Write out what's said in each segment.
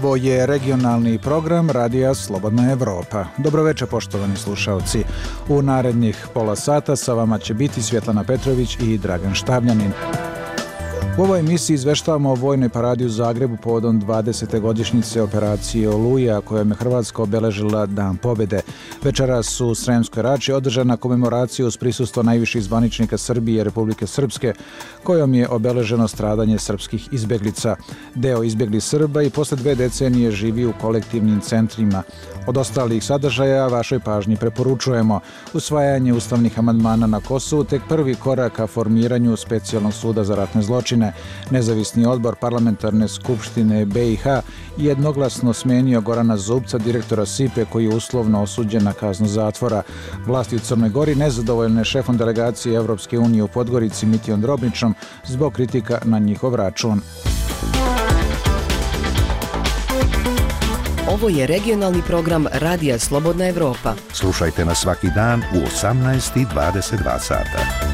Ovo je regionalni program Radija Slobodna Evropa. Dobroveče, poštovani slušalci. U narednih pola sata sa vama će biti Svjetlana Petrović i Dragan Štavljanin. U ovoj emisiji izveštavamo o vojnoj paradi u Zagrebu povodom 20. godišnjice operacije Oluja, kojom je Hrvatska obeležila Dan pobjede. Večeras u Sremskoj Rači održana komemoracija uz prisustvo najviših zvaničnika Srbije i Republike Srpske, kojom je obeleženo stradanje srpskih izbjeglica. Deo izbjeglih Srba i posle 2 decenije živi u kolektivnim centrima. Od ostalih sadržaja vašoj pažnji preporučujemo usvajanje ustavnih amandmana na Kosovu, tek prvi korak ka formiranju specijalnog suda za ratne zločine. Nezavisni odbor parlamentarne skupštine BiH jednoglasno smenio Gorana Zubca, direktora SIPE, koji je uslovno osuđen na kaznu zatvora. Vlasti u Crnoj Gori nezadovoljne šefom delegacije Evropske unije u Podgorici Mitijom Drobničom zbog kritika na njihov račun. Ovo je regionalni program Radija Slobodna Evropa. Slušajte nas svaki dan u 18:22 sata.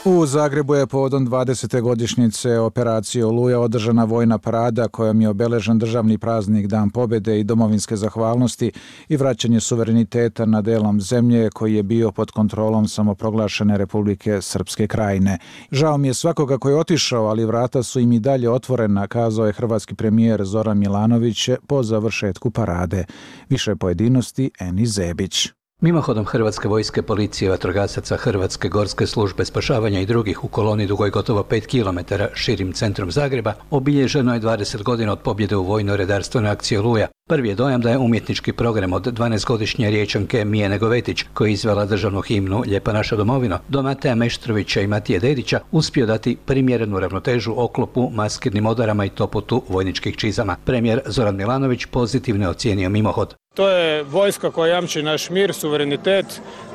U Zagrebu je povodom 20. godišnjice operacije Oluja održana vojna parada kojom je obeležen državni praznik Dan pobjede i domovinske zahvalnosti i vraćanje suvereniteta na delom zemlje koji je bio pod kontrolom samoproglašene Republike Srpske Krajine. Žao mi je svakoga koji je otišao, ali vrata su im i dalje otvorena, kazao je hrvatski premijer Zoran Milanović po završetku parade. Više pojedinosti Eni Zebić. Mimohodom Hrvatske vojske, policije, vatrogasaca, Hrvatske gorske službe spašavanja i drugih u koloni dugoj gotovo 5 km širim centrom Zagreba obilježeno je 20 godina od pobjede u vojno-redarstvenoj akciji Oluja. Prvi je dojam da je umjetnički program od 12-godišnje Riječanke Mije Negovetić, koja je izvela državnu himnu Lijepa naša domovino, do Mateja Meštrovića i Matije Dedića, uspio dati primjerenu ravnotežu oklopu, maskirnim odarama i topotu vojničkih čizama. Premijer Zoran Milanović pozitivno ocijenio mimohod. To je vojska koja jamči naš mir, suverenitet,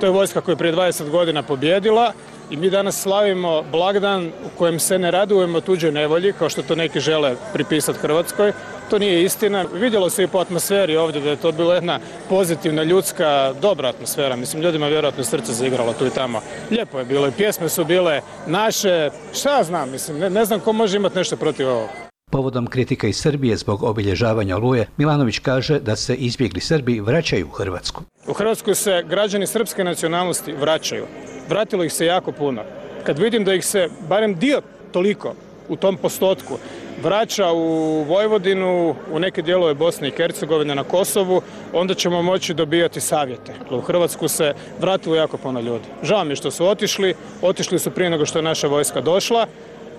to je vojska koja je prije 20 godina pobjedila i mi danas slavimo blagdan u kojem se ne radujemo tuđoj nevolji, kao što to neki žele pripisati Hrvatskoj. To nije istina. Vidjelo se i po atmosferi ovdje da je to bila jedna pozitivna, ljudska, dobra atmosfera. Mislim, ljudima vjerojatno srce zaigralo tu i tamo. Lijepo je bilo i pjesme su bile naše. Šta ja znam, mislim, ne znam ko može imati nešto protiv ovoga. Povodom kritika iz Srbije zbog obilježavanja Oluje, Milanović kaže da se izbjegli Srbi vraćaju u Hrvatsku. U Hrvatsku se građani srpske nacionalnosti vraćaju. Vratilo ih se jako puno. Kad vidim da ih se, barem dio toliko u tom postotku, vraća u Vojvodinu, u neke dijelove Bosne i Hercegovine, na Kosovu, onda ćemo moći dobijati savjete. U Hrvatsku se vratilo jako puno ljudi. Žao mi je što su otišli su prije nego što je naša vojska došla.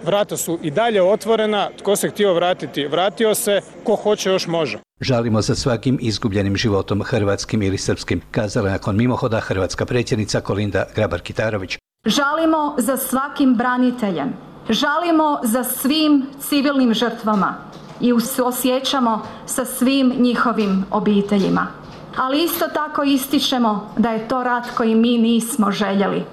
Vrata su i dalje otvorena, tko se htio vratiti, vratio se, ko hoće još može. Žalimo za svakim izgubljenim životom, hrvatskim ili srpskim, kazala nakon mimohoda hrvatska predsjednica Kolinda Grabar-Kitarović. Žalimo za svakim braniteljem, žalimo za svim civilnim žrtvama i osjećamo sa svim njihovim obiteljima. Ali isto tako ističemo da je to rat koji mi nismo željeli.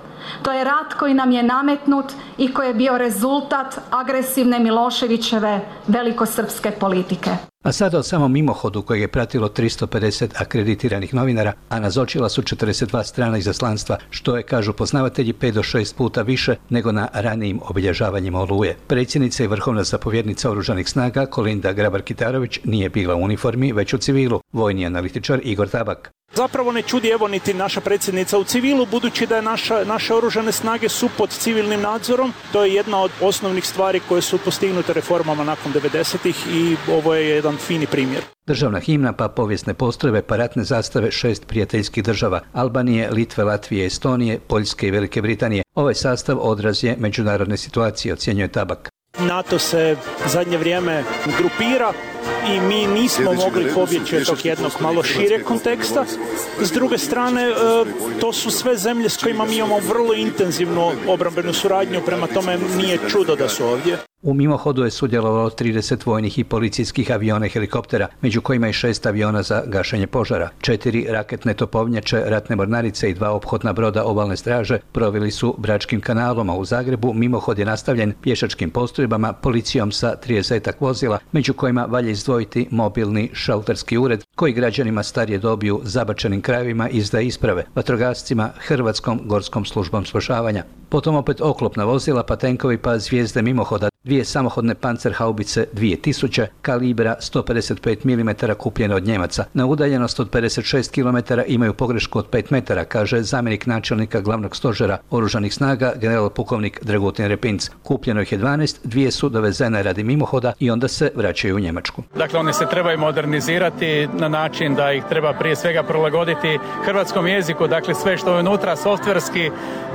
To je rat koji nam je nametnut i koji je bio rezultat agresivne Miloševićeve velikosrpske politike. A sada o samom mimohodu kojeg je pratilo 350 akreditiranih novinara, a nazočila su 42 strana izaslanstva, što je, kažu poznavatelji, 5 do 6 puta više nego na ranijim obilježavanjima Oluje. Predsjednica i vrhovna zapovjednica Oružanih snaga Kolinda Grabar-Kitarović nije bila u uniformi, već u civilu. Vojni analitičar Igor Tabak. Zapravo ne čudi evo niti naša predsjednica u civilu, budući da je naše oružane snage su pod civilnim nadzorom. To je jedna od osnovnih stvari koje su postignute reformama nakon 90-ih i ovo je jedan fini primjer. Državna himna, pa povijesne postrojbe, pa ratne zastave 6 prijateljskih država: Albanije, Litve, Latvije, Estonije, Poljske i Velike Britanije. Ovaj sastav odraz je međunarodne situacije, ocjenjuje Tabak. NATO se zadnje vrijeme grupira i mi nismo mogli pobjeći od tog jednog malo šireg konteksta. S druge strane, to su sve zemlje s kojima mi imamo vrlo intenzivnu obrambenu suradnju, prema tome nije čudo da su ovdje. U mimohodu je sudjelovalo 30 vojnih i policijskih aviona i helikoptera, među kojima i 6 aviona za gašenje požara. 4 raketne topovnjače, ratne mornarice i 2 ophodna broda obalne straže proveli su Bračkim kanalom, a u Zagrebu mimohod je nastavljen pješačkim postrojbama, policijom sa 30 vozila, među kojima valja izdvojiti mobilni šalterski ured koji građanima starije dobi u zabačenim krajevima izdaje isprave, vatrogascima, Hrvatskom gorskom službom spašavanja. Potom opet oklopna vozila, pa tenkovi, pa zvijezde mimohoda. 2 samohodne pancerhaubice 2000 kalibra 155 mm kupljene od Njemaca. Na udaljenost od 56 km imaju pogrešku od 5 metara, kaže zamjenik načelnika glavnog stožera oružanih snaga general pukovnik Dragutin Repinc. Kupljeno ih je 12, 2 su dovezene radi mimohoda i onda se vraćaju u Njemačku. Dakle, one se trebaju modernizirati na način da ih treba prije svega prilagoditi hrvatskom jeziku. Dakle, sve što je unutra softverski,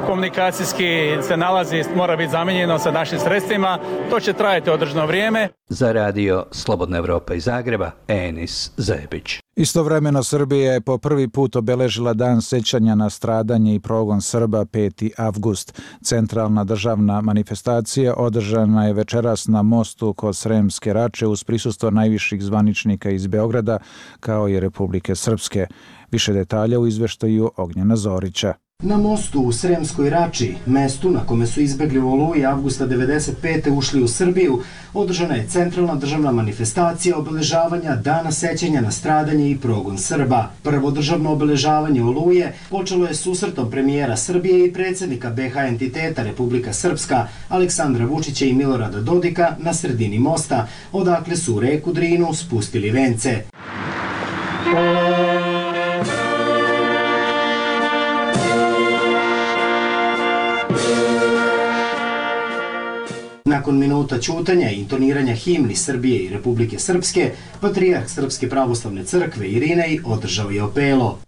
komunikacijski se nalazi, mora biti zamijenjeno sa našim sredstvima. To će trajati određeno vrijeme. Za radio Slobodna Evropa iz Zagreba, Enis Zebić. Istovremeno Srbija je po prvi put obeležila dan sećanja na stradanje i progon Srba 5. avgust. Centralna državna manifestacija održana je večeras na mostu kod Sremske Rače uz prisustvo najviših zvaničnika iz Beograda kao i Republike Srpske. Više detalja u izveštaju Ognjena Zorića. Na mostu u Sremskoj Rači, mestu na kome su izbegli u Oluji avgusta 1995. ušli u Srbiju, održana je centralna državna manifestacija obeležavanja Dana sećanja na stradanje i progon Srba. Prvo državno obeležavanje Oluje počelo je susretom premijera Srbije i predsjednika BiH entiteta Republika Srpska, Aleksandra Vučića i Milorada Dodika na sredini mosta, odakle su u reku Drinu spustili vence. Nakon minuta ćutanja i intoniranja himni Srbije i Republike Srpske, patrijarh Srpske pravoslavne crkve Irinej održao je opelo.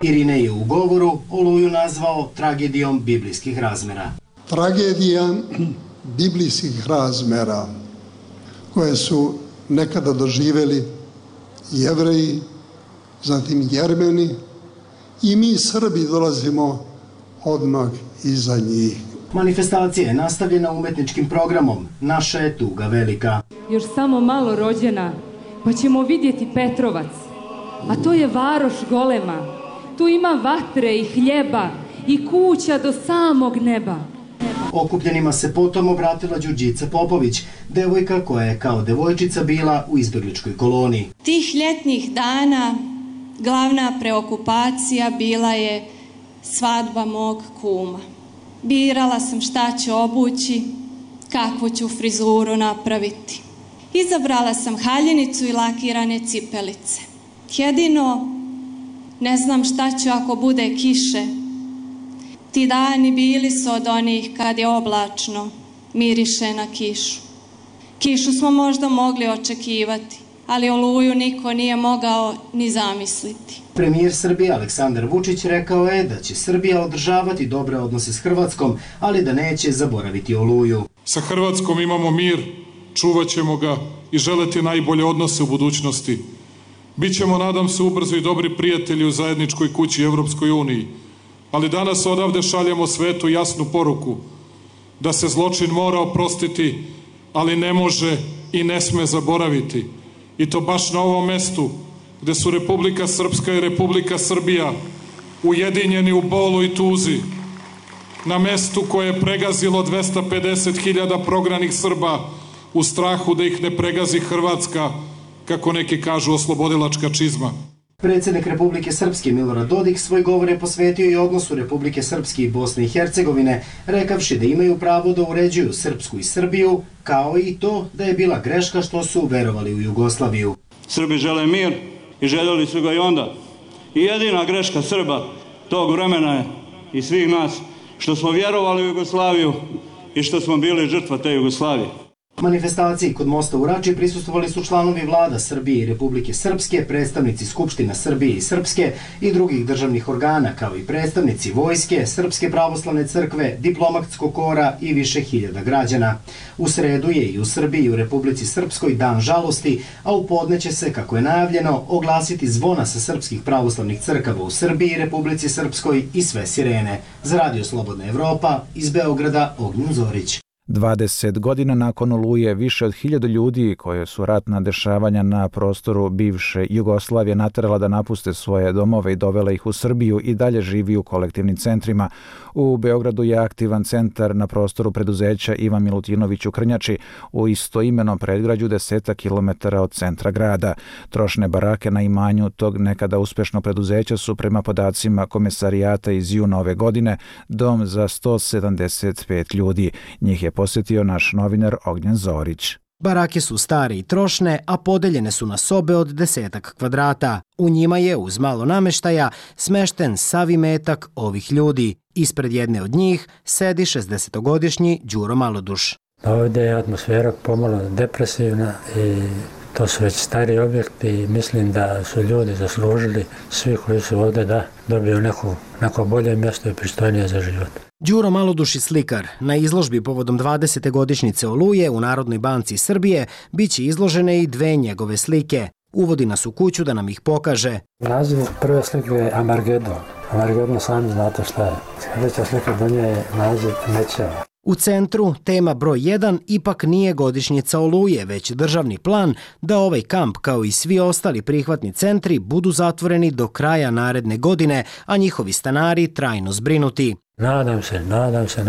Irinej je u govoru Oluju nazvao tragedijom biblijskih razmera. Tragedija biblijskih razmera koje su nekada doživjeli Jevreji, zatim Jermeni i mi Srbi dolazimo odmah iza njih. Manifestacija je nastavljena umetničkim programom Naša je tuga velika. Još samo malo rođena, pa ćemo vidjeti Petrovac, a to je varoš golema. Tu ima vatre i hljeba i kuća do samog neba. Okupljenima se potom obratila Đurđica Popović, devojka koja je kao devojčica bila u izbjegličkoj koloniji. Tih ljetnih dana glavna preokupacija bila je svadba mog kuma. Birala sam šta ću obući, kakvu ću frizuru napraviti. Izabrala sam haljinicu i lakirane cipelice. Jedino ne znam šta ću ako bude kiše. Ti dani bili su od onih kad je oblačno, miriše na kišu. Kišu smo možda mogli očekivati, ali Oluju niko nije mogao ni zamisliti. Premijer Srbije Aleksandar Vučić rekao je da će Srbija održavati dobre odnose s Hrvatskom, ali da neće zaboraviti Oluju. Sa Hrvatskom imamo mir, čuvat ćemo ga i želeti najbolje odnose u budućnosti. Bićemo, nadam se, ubrzo i dobri prijatelji u zajedničkoj kući Evropskoj uniji. Ali danas odavde šaljemo svetu jasnu poruku da se zločin mora oprostiti, ali ne može i ne sme zaboraviti. I to baš na ovom mestu gde su Republika Srpska i Republika Srbija ujedinjeni u bolu i tuzi. Na mestu koje je pregazilo 250.000 prognanih Srba u strahu da ih ne pregazi Hrvatska, kako neki kažu, oslobodilačka čizma. Predsjednik Republike Srpske Milorad Dodik svoj govor je posvetio i odnosu Republike Srpske i Bosne i Hercegovine, rekavši da imaju pravo da uređuju Srpsku i Srbiju, kao i to da je bila greška što su verovali u Jugoslaviju. Srbi žele mir i željeli su ga i onda. I jedina greška Srba tog vremena je i svih nas što smo vjerovali u Jugoslaviju i što smo bili žrtva te Jugoslavije. Manifestaciji kod mosta u Rači prisustvovali su članovi vlada Srbije i Republike Srpske, predstavnici Skupština Srbije i Srpske i drugih državnih organa, kao i predstavnici vojske, Srpske pravoslavne crkve, diplomatskog kora i više hiljada građana. U sredu je i u Srbiji i u Republici Srpskoj dan žalosti, a u podne će se, kako je najavljeno, oglasiti zvona sa srpskih pravoslavnih crkava u Srbiji i Republici Srpskoj i sve sirene. Za Radio Slobodna Evropa iz Beograda, Ognjen Zorić. 20 godina nakon Oluje više od 1000 ljudi koje su ratna dešavanja na prostoru bivše Jugoslavije naterala da napuste svoje domove i dovela ih u Srbiju i dalje živi u kolektivnim centrima. U Beogradu je aktivan centar na prostoru preduzeća Ivan Milutinović u Krnjači, u istoimenom predgrađu 10 kilometara od centra grada. Trošne barake na imanju tog nekada uspešno preduzeća su prema podacima komesarijata iz juna ove godine dom za 175 ljudi. Njih je posjetio naš novinar Ognjen Zorić. Barake su stare i trošne, a podeljene su na sobe od 10 kvadrata. U njima je, uz malo nameštaja, smešten sav imetak ovih ljudi. Ispred jedne od njih sedi 60-godišnji Đuro Maloduš. Ovdje je atmosfera pomalo depresivna i to su već stari objekti i mislim da su ljudi zaslužili, svi koji su ovdje, da dobiju neko bolje mjesto i pristojnije za život. Đuro Maloduš i slikar. Na izložbi povodom 20. godišnjice Oluje u Narodnoj banci Srbije biće izložene i 2 njegove slike. Uvodi nas u kuću da nam ih pokaže. Naziv prve slike je Amargedon. Amargedon sami znate šta je. Sljedeća slika do nje je naziv Mećeva. U centru, tema broj 1, ipak nije godišnjica Oluje, već državni plan da ovaj kamp, kao i svi ostali prihvatni centri, budu zatvoreni do kraja naredne godine, a njihovi stanari trajno zbrinuti. Nadam se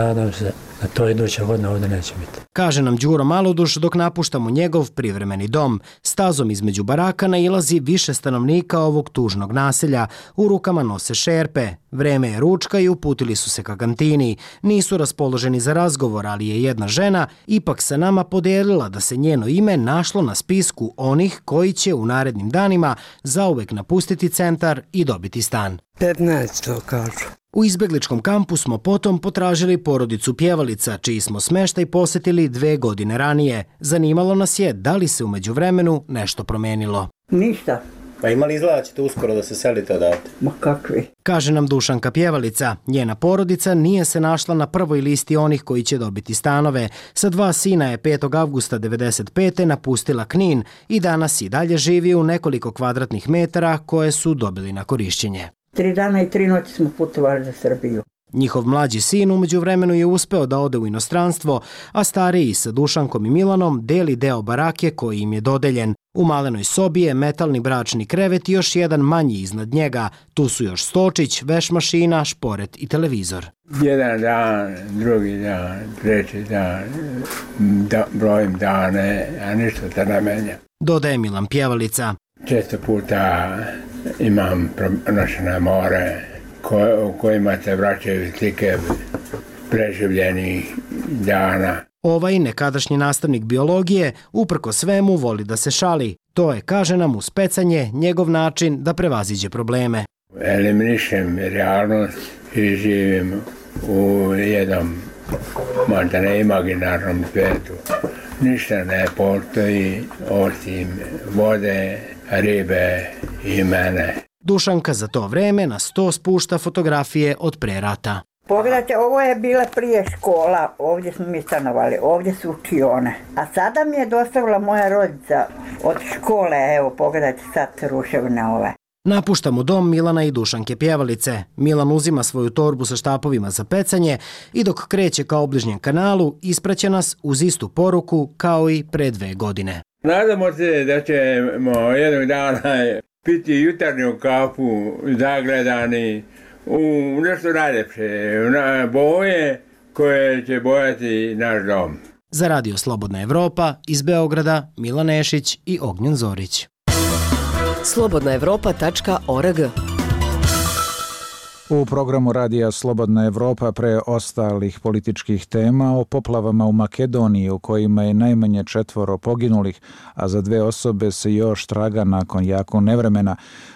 da to iduća godina ovdje neće biti. Kaže nam Đuro Maloduš dok napuštamo njegov privremeni dom. Stazom između baraka nailazi više stanovnika ovog tužnog naselja. U rukama nose šerpe. Vreme je ručka i uputili su se ka kantini. Nisu raspoloženi za razgovor, ali je jedna žena ipak sa nama podelila da se njeno ime našlo na spisku onih koji će u narednim danima zauvek napustiti centar i dobiti stan. 15 kažu. U izbegličkom kampu smo potom potražili porodicu Pjevalica, čiji smo smeštaj posjetili 2 godine ranije. Zanimalo nas je da li se u međuvremenu nešto promenilo. Ništa. Pa ima li izgleda da ćete uskoro da se selite odatle? Ma kakvi? Kaže nam Dušanka Pjevalica. Njena porodica nije se našla na prvoj listi onih koji će dobiti stanove. Sa 2 sina je 5. avgusta 1995. napustila Knin i danas i dalje živi u nekoliko kvadratnih metara koje su dobili na korišćenje. 3 dana i 3 noći smo putovali za Srbiju. Njihov mlađi sin umeđu vremenu je uspeo da ode u inostranstvo, a stariji sa Dušankom i Milanom deli deo barake koji im je dodeljen. U malenoj sobi je metalni bračni krevet i još jedan manji iznad njega. Tu su još stočić, veš mašina, šporet i televizor. Jedan dan, drugi dan, treći dan, brojim dane, a ništa se ne menja. Dodaje Milan Pjevalica. Često puta imam pronošene more u kojima se vraćaju slike preživljenih dana. Ovaj nekadašnji nastavnik biologije uprko svemu voli da se šali. To je, kaže nam, uz pecanje njegov način da prevaziđe probleme. Eliminišem realnost i živim u jednom možda ne imaginarnom svijetu. Ništa ne postoji osim vode, ribe i mene. Dušanka za to vreme na sto spušta fotografije od pre rata. Pogledajte, ovo je bila prije škola, ovdje smo mi stanovali, ovdje su učione. A sada mi je dostavila moja rodica od škole, evo pogledajte sad ruševine ove. Napuštamo dom Milana i Dušanke Pjevalice. Milan uzima svoju torbu sa štapovima za pecanje i dok kreće ka obližnjem kanalu, ispraća nas uz istu poruku kao i pre 2 godine. Nadamo se da ćemo jednog dana piti jutarnju kafu zagledani u nešto najljepše, na boje koje će bojati naš dom. Za Radio Slobodna Evropa iz Beograda Milan Nešić i Ognjen Zorić. slobodnaevropa.org. U programu Radija Slobodna Evropa pre ostalih političkih tema o poplavama u Makedoniji u kojima je najmanje 4 poginulih, a za 2 osobe se još traga nakon jakog nevremena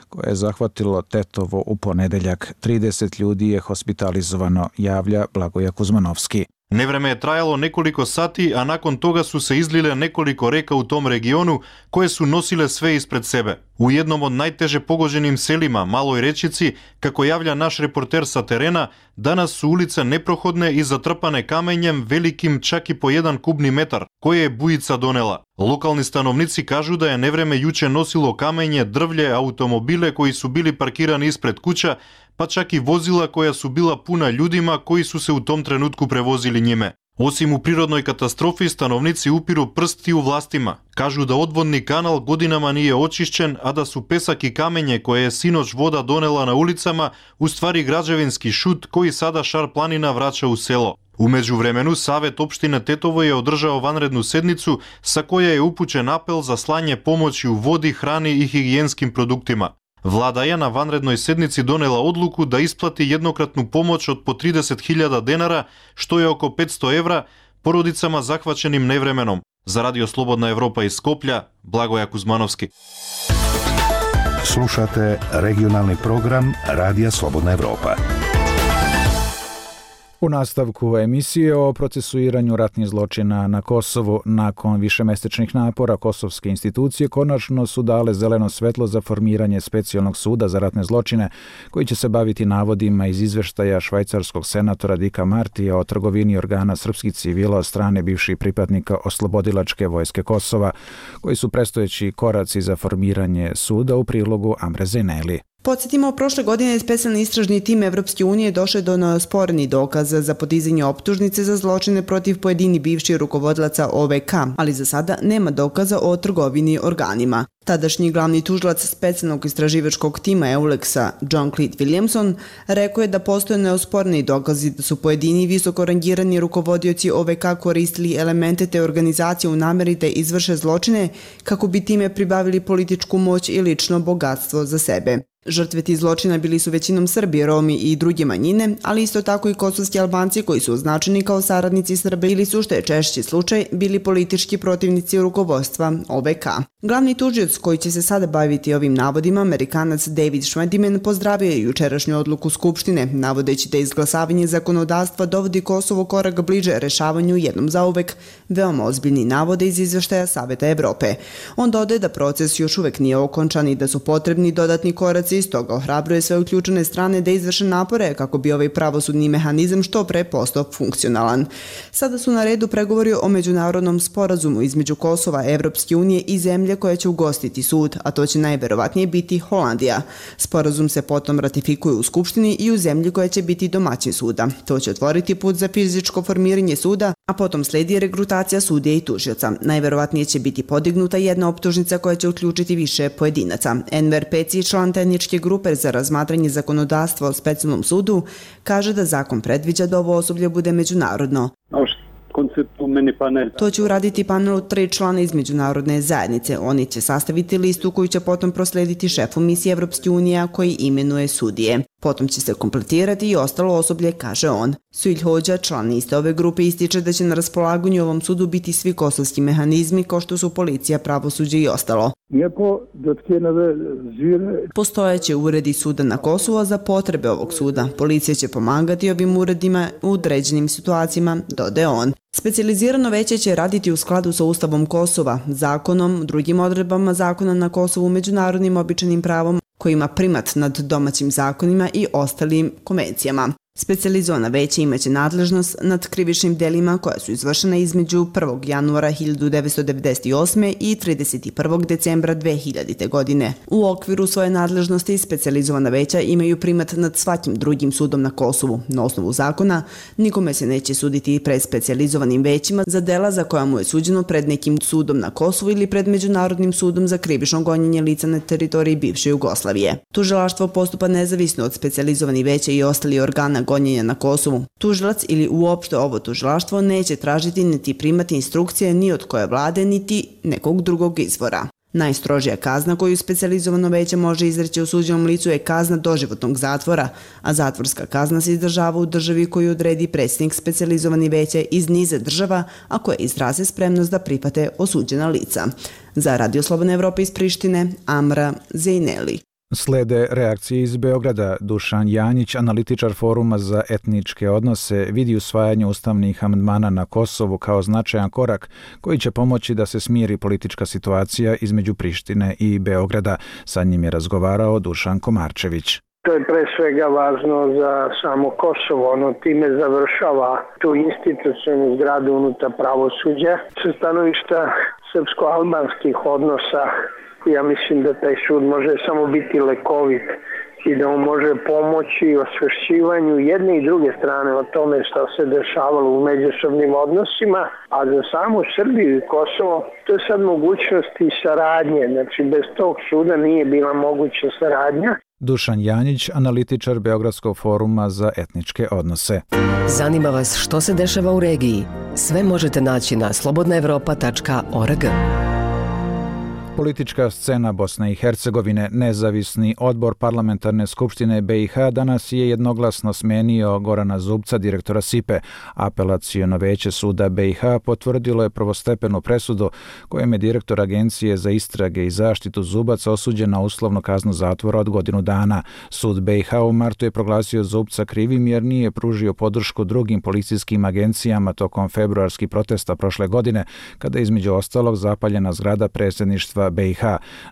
koje je zahvatilo Tetovo u ponedeljak. 30 ljudi je hospitalizovano, javlja Blagoja Kuzmanovski. Nevreme je trajalo nekoliko sati, a nakon toga su se izlile nekoliko reka u tom regionu koje su nosile sve ispred sebe. U jednom od najteže pogođenim selima, Maloj Rečici, kako javlja naš reporter sa terena, danas su ulice neprohodne i zatrpane kamenjem velikim čak i po 1 kubni metar, koje je bujica donela. Lokalni stanovnici kažu da je nevreme juče nosilo kamenje, drvlje, automobile koji su bili parkirani ispred kuća, pa čak i vozila koja su bila puna ljudima koji su se u tom trenutku prevozili njime. Osim u prirodnoj katastrofi, stanovnici upiru prsti u vlastima. Kažu da odvodni kanal godinama nije očišćen, a da su pesak i kamenje koje je sinoć voda donela na ulicama u stvari građevinski šut koji sada Šar planina vraća u selo. U međuvremenu, Savet opštine Tetovo je održao vanrednu sednicu sa koja je upućen apel za slanje pomoći u vodi, hrani i higijenskim produktima. Vlada je na vanrednoj sednici donela odluku da isplati jednokratnu pomoć od po 30.000 dinara, što je oko 500 evra, porodicama zahvaćenim nevremenom. Za Radio Slobodna Evropa iz Skoplja, Blagoja Kuzmanovski. Slušate regionalni program Radija Slobodna Evropa. U nastavku emisije o procesuiranju ratnih zločina na Kosovu nakon višemesečnih napora kosovske institucije konačno su dale zeleno svetlo za formiranje specijalnog suda za ratne zločine koji će se baviti navodima iz izveštaja švajcarskog senatora Dika Martija o trgovini organa srpskih civila od strane bivših pripadnika Oslobodilačke vojske Kosova, koji su predstojeći koraci za formiranje suda u prilogu Amre Zeneli. Podsjetimo, prošle godine specijalni istražni tim Evropske unije došao do neosporenih dokaza za podizanje optužnice za zločine protiv pojedini bivših rukovodilaca OVK, ali za sada nema dokaza o trgovini organima. Tadašnji glavni tužilac specijalnog istraživačkog tima EULEX-a John Cleet Williamson rekao je da postoje neosporeni dokazi da su pojedini visoko rangirani rukovodioci OVK koristili elemente te organizacije u nameri da izvrše zločine kako bi time pribavili političku moć i lično bogatstvo za sebe. Žrtve tih zločina bili su većinom Srbi, Romi i druge manjine, ali isto tako i kosovski Albanci koji su označeni kao saradnici Srbe ili su, što je češći slučaj, bili politički protivnici rukovodstva OVK. Glavni tužioc koji će se sada baviti ovim navodima, Amerikanac David Schwediman, pozdravio je jučerašnju odluku Skupštine, navodeći da izglasavanje zakonodavstva dovodi Kosovo korak bliže rešavanju jednom zauvek veoma ozbiljni navode iz izveštaja Saveta Evrope. On dodaje da proces još uvek nije okončan i da su potrebni dodatni koraci, stoga ohrabruje sve uključene strane da izvrše napore kako bi ovaj pravosudni mehanizam što pre postao funkcionalan. Sada su na redu pregovori o međunarodnom sporazumu između Kosova, Evropske unije i zemlje koja će ugostiti sud, a to će najverovatnije biti Holandija. Sporazum se potom ratifikuje u Skupštini i u zemlji koja će biti domaćin suda. To će otvoriti put za fizičko formiranje suda, a potom sledi regrutacija sudija i tužioca. Najverovatnije će biti podignuta jedna optužnica koja će uključiti više pojedinaca. Enver Peci, član tehničke grupe za razmatranje zakonodavstva o specijalnom sudu, kaže da zakon predviđa da ovo osoblje bude međunarodno. To će uraditi panel od 3 člana iz međunarodne zajednice. Oni će sastaviti listu koju će potom proslediti šefu misije Evropske unije koji imenuje sudije. Potom će se kompletirati i ostalo osoblje, kaže on. Suilj Hođa, član iste ove grupe, ističe da će na raspolaganju ovom sudu biti svi kosovski mehanizmi kao što su policija, pravosuđe i ostalo. Postojeće uredi suda na Kosovu za potrebe ovog suda. Policija će pomagati ovim uredima u određenim situacijama, dodaje on. Specijalizirano veće će raditi u skladu sa Ustavom Kosova, zakonom, drugim odredbama zakona na Kosovu, međunarodnim običajnim pravom koji ima primat nad domaćim zakonima i ostalim konvencijama. Specijalizovana veća imaće nadležnost nad krivičnim delima koja su izvršena između 1. januara 1998. i 31. decembra 2000. godine. U okviru svoje nadležnosti specijalizovana veća imaju primat nad svakim drugim sudom na Kosovu. Na osnovu zakona nikome se neće suditi pred specijalizovanim većima za dela za koja mu je suđeno pred nekim sudom na Kosovu ili pred Međunarodnim sudom za krivično gonjenje lica na teritoriji bivše Jugoslavije. Tužilaštvo postupa nezavisno od specijalizovanih veća i ostali organa gonjenja na Kosovu. Tužilac ili uopšte ovo tužilaštvo neće tražiti niti primati instrukcije ni od koje vlade niti nekog drugog izvora. Najstrožija kazna koju specijalizovano veće može izreći osuđenom licu je kazna doživotnog zatvora, a zatvorska kazna se izdržava u državi koju odredi predsjednik specijalizovani veće iz niza država, a koje izraze spremnost da prihvate osuđena lica. Za Radio Slobodna Evropa iz Prištine, Amra Zejneli. Slede reakcije iz Beograda. Dušan Janjić, analitičar Foruma za etničke odnose, vidi usvajanje ustavnih amandmana na Kosovu kao značajan korak koji će pomoći da se smiri politička situacija između Prištine i Beograda. Sa njim je razgovarao Dušan Komarčević. To je pre svega važno za samo Kosovo, ono time završava tu institucionalnu zgradu unutar pravosuđa. Sa stanovišta srpsko-albanskih odnosa, ja mislim da taj sud može samo biti lekovit i da on može pomoći osvešćivanju jedne i druge strane o tome što se dešavalo u međusobnim odnosima, a za samu Srbiju i Kosovo to je sad mogućnost i saradnje, znači bez tog suda nije bila moguća saradnja. Dušan Janjić, analitičar Beogradskog foruma za etničke odnose. Zanima vas što se dešava u regiji? Sve možete naći na slobodnaevropa.org. Politička scena Bosne i Hercegovine, nezavisni odbor parlamentarne skupštine BiH danas je jednoglasno smenio Gorana Zubca, direktora SIPE. Apelaciono veće suda BiH potvrdilo je prvostepenu presudu kojom je direktor Agencije za istrage i zaštitu Zubac osuđen na uslovnu kaznu zatvora od godinu dana. Sud BiH u martu je proglasio Zubca krivim jer nije pružio podršku drugim policijskim agencijama tokom februarskih protesta prošle godine, kada je između ostalog zapaljena zgrada predsjedništva BiH.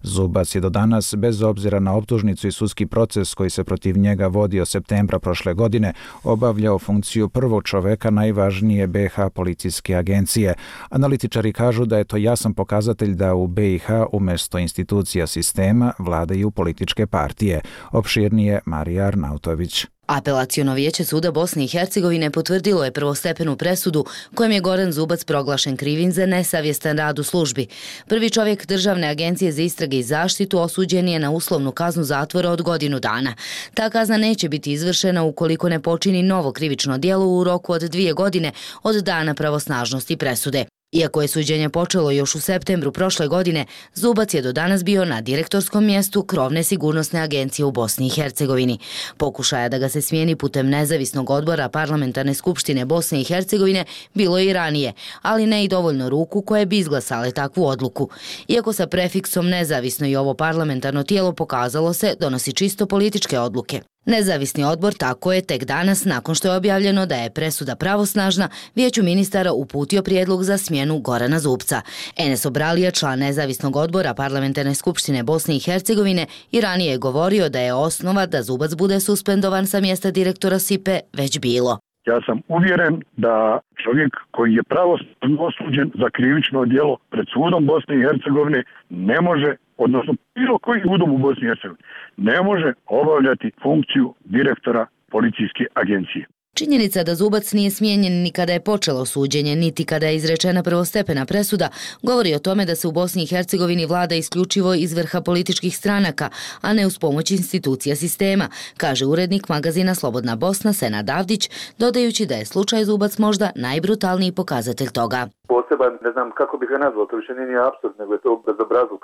Zubac je do danas, bez obzira na optužnicu i sudski proces koji se protiv njega vodi od septembra prošle godine, obavljao funkciju prvog čoveka najvažnije BiH policijske agencije. Analitičari kažu da je to jasan pokazatelj da u BiH umjesto institucija sistema vladaju političke partije. Opširnije Marija Arnautović. Apelaciono vijeće suda Bosne i Hercegovine potvrdilo je prvostepenu presudu kojom je Goran Zubac proglašen krivim za nesavjestan rad u službi. Prvi čovjek Državne agencije za istrage i zaštitu osuđen je na uslovnu kaznu zatvora od godinu dana. Ta kazna neće biti izvršena ukoliko ne počini novo krivično djelo u roku od 2 godine od dana pravosnažnosti presude. Iako je suđenje počelo još u septembru prošle godine, Zubac je do danas bio na direktorskom mjestu krovne sigurnosne agencije u Bosni i Hercegovini. Pokušaja da ga se smijeni putem nezavisnog odbora parlamentarne skupštine Bosne i Hercegovine bilo je i ranije, ali ne i dovoljno ruku koje bi izglasale takvu odluku. Iako sa prefiksom nezavisno i ovo parlamentarno tijelo pokazalo se donosi čisto političke odluke. Nezavisni odbor tako je tek danas, nakon što je objavljeno da je presuda pravosnažna, vijeću ministara uputio prijedlog za smjenu Gorana Zubca. Enes Obralija, član nezavisnog odbora parlamentarne skupštine Bosne i Hercegovine, i ranije je govorio da je osnova da Zubac bude suspendovan sa mjesta direktora SIPE već bilo. Ja sam uvjeren da čovjek koji je pravosnažno osuđen za krivično djelo pred sudom Bosne i Hercegovine ne može, odnosno bilo koji sudom u Bosni i Hercegovini, ne može obavljati funkciju direktora policijske agencije. Činjenica da Zubac nije smijenjen ni kada je počelo suđenje, niti kada je izrečena prvostepena presuda, govori o tome da se u Bosni i Hercegovini vlada isključivo iz vrha političkih stranaka, a ne uz pomoć institucija sistema, kaže urednik magazina Slobodna Bosna Senad Avdić, dodajući da je slučaj Zubac možda najbrutalniji pokazatelj toga. Poseban, ne znam kako bih ga nazvao, to više nije apsurd, nego je to bezobrazluk.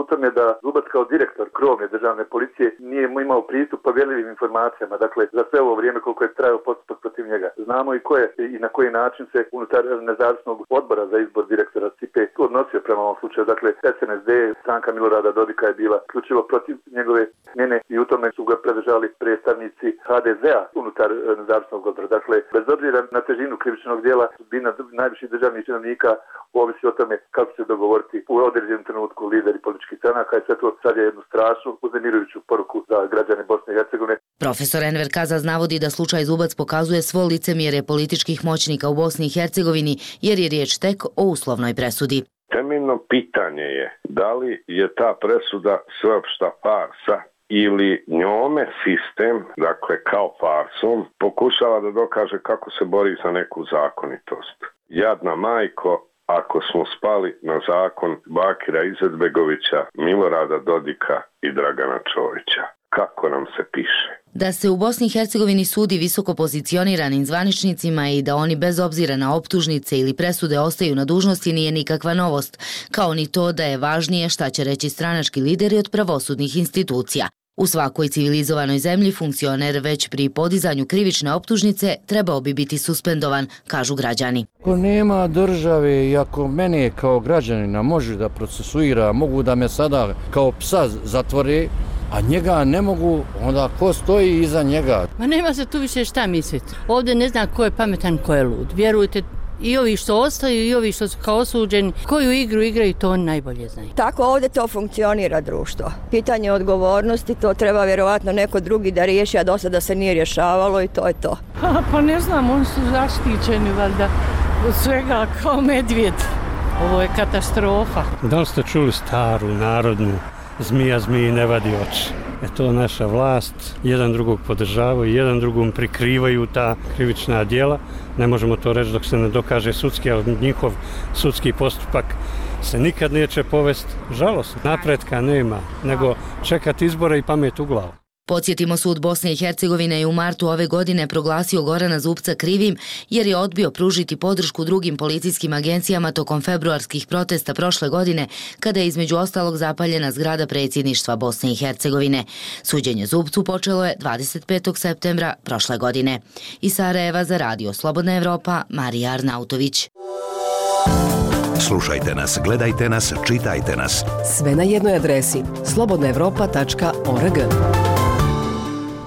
U tome da Zubac kao direktor krovne državne policije nije imao pristup povjerljivim informacijama, dakle za sve ovo vrijeme koliko je trajao postupak protiv njega. Znamo i ko je i na koji način se unutar nezavisnog odbora za izbor direktora SIPE odnosio prema ovom slučaju. Dakle, SNSD, stranka Milorada Dodika je bila isključivo protiv njegove smjene i u tome su ga predržali predstavnici HDZ-a unutar nezavisnog odbora. Dakle, bez obzira na težinu krivičnog djela, sudbina najviših državnih činovnika ovisi o tome kako se dogovoriti u određenom trenutku lideri političkih stranaka i sve to sad je jednu strašnu, uznemirujuću poruku za građane Bosne i Hercegovine. Profesor Enver Kazaz navodi da slučaj Zubac pokazuje svo licemjerje političkih moćnika u Bosni i Hercegovini jer je riječ tek o uslovnoj presudi. Temeljno pitanje je da li je ta presuda sveopšta farsa ili njome sistem, dakle kao farsom, pokušava da dokaže kako se bori za neku zakonitost. Jadna majko, ako smo spali na zakon Bakira Izetbegovića, Milorada Dodika i Dragana Čovića. Kako nam se piše? Da se u Bosni i Hercegovini sudi visoko pozicioniranim zvaničnicima i da oni bez obzira na optužnice ili presude ostaju na dužnosti nije nikakva novost, kao ni to da je važnije šta će reći stranački lideri od pravosudnih institucija. U svakoj civilizovanoj zemlji funkcioner već pri podizanju krivične optužnice trebao bi biti suspendovan, kažu građani. Ako nema države i ako mene kao građanina može da procesuira, mogu da me sada kao psa zatvore, a njega ne mogu, onda ko stoji iza njega? Ma nema se tu više šta misliti. Ovdje ne zna ko je pametan, ko je lud. Vjerujte, i ovi što ostaju i ovi što su kao osuđeni, koju igru igraju, to oni najbolje znaju. Tako ovdje to funkcionira društvo. Pitanje odgovornosti, to treba vjerovatno neko drugi da riješi, a do sada se nije rješavalo i to je to. Pa ne znam, oni su zaštićeni valjda od svega kao medvjed. Ovo je katastrofa. Da li ste čuli staru narodnu zmija zmiji ne vadi oči? to naša vlast jedan drugog podržavaju, jedan drugom prikrivaju ta krivična djela. Ne možemo to reći dok se ne dokaže sudski, ali njihov sudski postupak se nikad neće povesti. Žalost, napretka nema, nego čekati izbore i pamet u glavu. Podsjetimo, sud Bosne i Hercegovine je u martu ove godine proglasio Gorana Zubca krivim jer je odbio pružiti podršku drugim policijskim agencijama tokom februarskih protesta prošle godine, kada je između ostalog zapaljena zgrada predsjedništva Bosne i Hercegovine. Suđenje Zubcu počelo je 25. septembra prošle godine. Iz Sarajeva za Radio Slobodna Evropa, Marija Arnautović. Slušajte nas, gledajte nas, čitajte nas. Sve na jednoj adresi slobodnaevropa.org.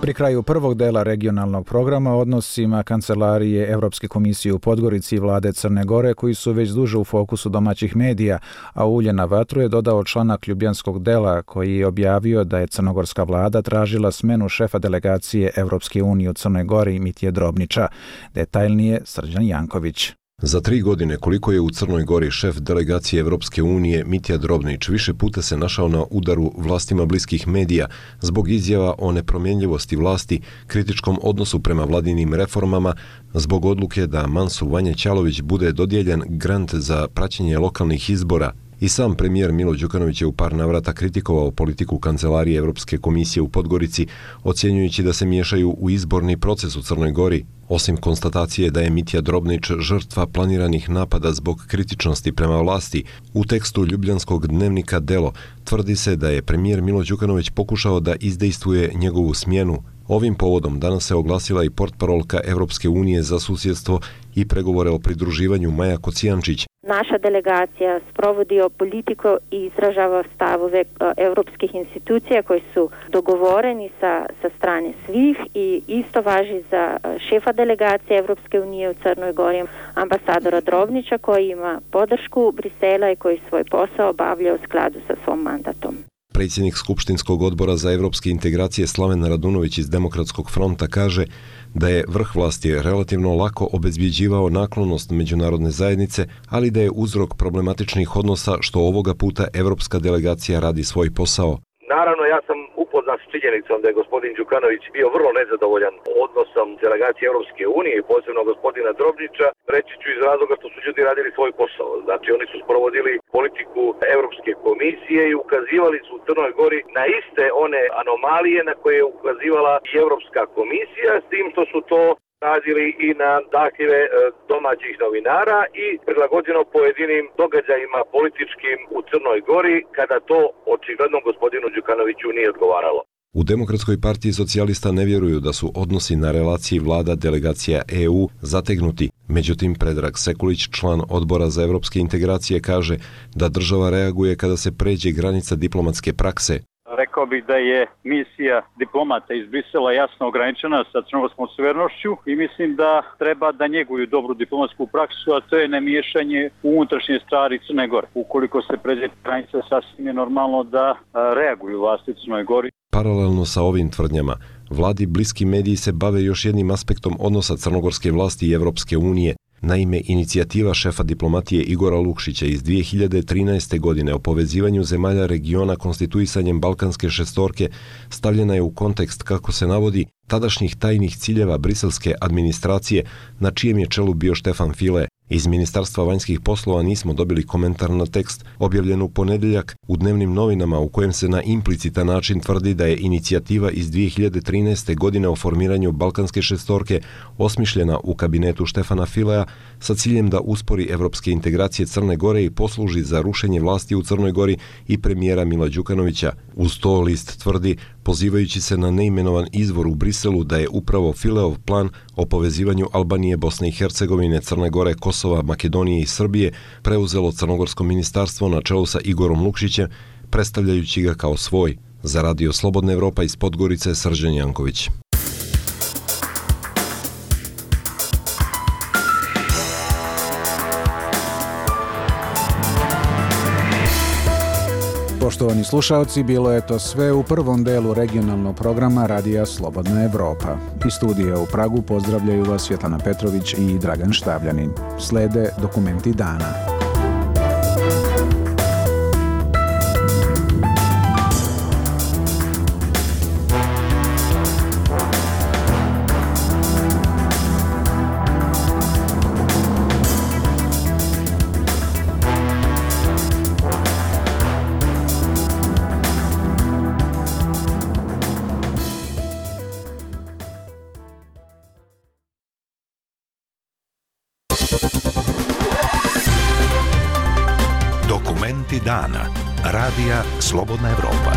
Pri kraju prvog dela regionalnog programa o odnosima Kancelarije Evropske komisije u Podgorici i vlade Crne Gore, koji su već duže u fokusu domaćih medija, a ulje na vatru je dodao članak ljubljanskog dela koji je objavio da je crnogorska vlada tražila smenu šefa delegacije Evropske unije u Crnoj Gori Mitje Drobnića. Detaljnije Srđan Janković. Za 3 godine koliko je u Crnoj Gori šef delegacije Evropske unije Mitja Drobnić više puta se našao na udaru vlastima bliskih medija zbog izjava o nepromjenljivosti vlasti, kritičkom odnosu prema vladinim reformama, zbog odluke da Mansu Vanja Ćalović bude dodijeljen grant za praćenje lokalnih izbora. I sam premijer Milo Đukanović je u par navrata kritikovao politiku Kancelarije Evropske komisije u Podgorici, ocjenjujući da se miješaju u izborni proces u Crnoj Gori. Osim konstatacije da je Mitja Drobnić žrtva planiranih napada zbog kritičnosti prema vlasti, u tekstu ljubljanskog dnevnika Delo tvrdi se da je premijer Milo Đukanović pokušao da izdejstvuje njegovu smjenu. Ovim povodom danas se oglasila i portparolka Evropske unije za susjedstvo i pregovore o pridruživanju Maja Kocijančić. Naša delegacija sprovodi politiku i izražava stavove evropskih institucija koji su dogovoreni sa strane svih i isto važi za šefa delegacije Evropske unije u Crnoj Gori, ambasadora Drobnića, koji ima podršku Brisela i koji svoj posao obavlja u skladu sa svom mandatom. Predsjednik Skupštinskog odbora za evropske integracije Slaven Radunović iz Demokratskog fronta kaže da je vrh vlasti relativno lako obezbjeđivao naklonost međunarodne zajednice, ali da je uzrok problematičnih odnosa što ovoga puta evropska delegacija radi svoj posao. Naravno, ja sam upoznat s činjenicom da je gospodin Đukanović bio vrlo nezadovoljan odnosom delegacije Europske unije i posebno gospodina Drobnića, reći ću iz razloga što su ljudi radili svoj posao. Znači, oni su sprovodili politiku Europske komisije i ukazivali su u Crnoj Gori na iste one anomalije na koje je ukazivala i Europska komisija, s tim što su to radili i na zahtjeve domaćih novinara i prilagođeno pojedinim događajima političkim u Crnoj Gori, kada to očigledno gospodinu Đukanoviću nije odgovaralo. U Demokratskoj partiji socijalista ne vjeruju da su odnosi na relaciji vlada delegacija EU zategnuti. Međutim, Predrag Sekulić, član odbora za evropske integracije, kaže da država reaguje kada se pređe granica diplomatske prakse. Rekao bih da je misija diplomata iz Brisela jasno ograničena sa crnogorskom suverenošću i mislim da treba da njeguju dobru diplomatsku praksu, a to je nemiješanje u unutrašnje stvari Crne Gore. Ukoliko se pređe granica, sasvim je normalno da reaguju vlasti u Crnoj Gori. Paralelno sa ovim tvrdnjama, vladi bliski mediji se bave još jednim aspektom odnosa crnogorske vlasti i Evropske unije. Naime, inicijativa šefa diplomatije Igora Lukšića iz 2013. godine o povezivanju zemalja regiona konstituisanjem Balkanske šestorke stavljena je u kontekst, kako se navodi, tadašnjih tajnih ciljeva briselske administracije, na čijem je čelu bio Štefan File. Iz Ministarstva vanjskih poslova nismo dobili komentar na tekst objavljen u ponedjeljak u dnevnim novinama, u kojem se na implicitan način tvrdi da je inicijativa iz 2013. godine o formiranju Balkanske šestorke osmišljena u kabinetu Štefana Filea sa ciljem da uspori evropske integracije Crne Gore i posluži za rušenje vlasti u Crnoj Gori i premijera Mila Đukanovića. Uz to list tvrdi, pozivajući se na neimenovan izvor u Briselu, da je upravo Fileov plan o povezivanju Albanije, Bosne i Hercegovine, Crne Gore, Kosova, Makedonije i Srbije preuzelo Crnogorsko ministarstvo na čelu sa Igorom Lukšićem, predstavljajući ga kao svoj. Za Radio Slobodna Evropa iz Podgorice, Srđan Janković. Poštovani slušalci, bilo je to sve u prvom delu regionalnog programa Radija Slobodna Evropa. Iz studija u Pragu pozdravljaju vas Svjetlana Petrović i Dragan Štavljanin. Slede dokumenti dana. Dokumenti dana. Radija Slobodna Evropa.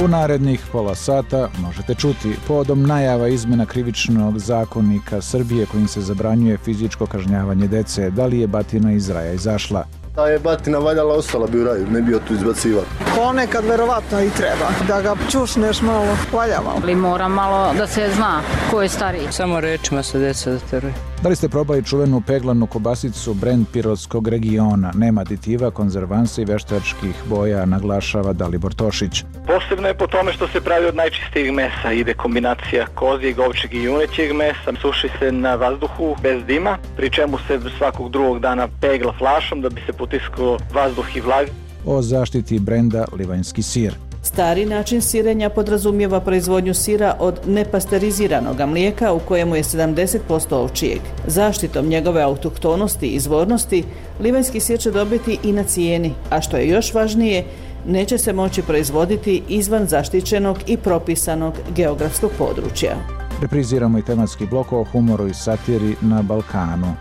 U narednih pola sata možete čuti povodom najava izmena krivičnog zakonika Srbije kojim se zabranjuje fizičko kažnjavanje dece. Da li je batina iz raja izašla? Da je batina valjala, ostala bi u raju, ne bi tu izbaciva. Ponekad verovatno i treba, da ga čušneš malo, valja malo. Ali mora malo da se zna ko je stariji. Samo rečima se deca zateruje. Da li ste probali čuvenu peglanu kobasicu brend pirotskog regiona? Nema aditiva, konzervansa i veštačkih boja, naglašava Dalibor Tošić. Posebno je po tome što se pravi od najčistijeg mesa. Ide kombinacija kozijeg, ovčjeg i junećeg mesa. Suši se na vazduhu bez dima, pri čemu se svakog drugog dana pegla flašom da bi se potiskao vazduh i vlaga. O zaštiti brenda livanjski sir. Stari način sirenja podrazumijeva proizvodnju sira od nepasteriziranog mlijeka u kojemu je 70% ovčijeg. Zaštitom njegove autohtonosti i izvornosti, livanjski sir će dobiti i na cijeni, a što je još važnije, neće se moći proizvoditi izvan zaštićenog i propisanog geografskog područja. Repriziramo i tematski blok o humoru i satiri na Balkanu.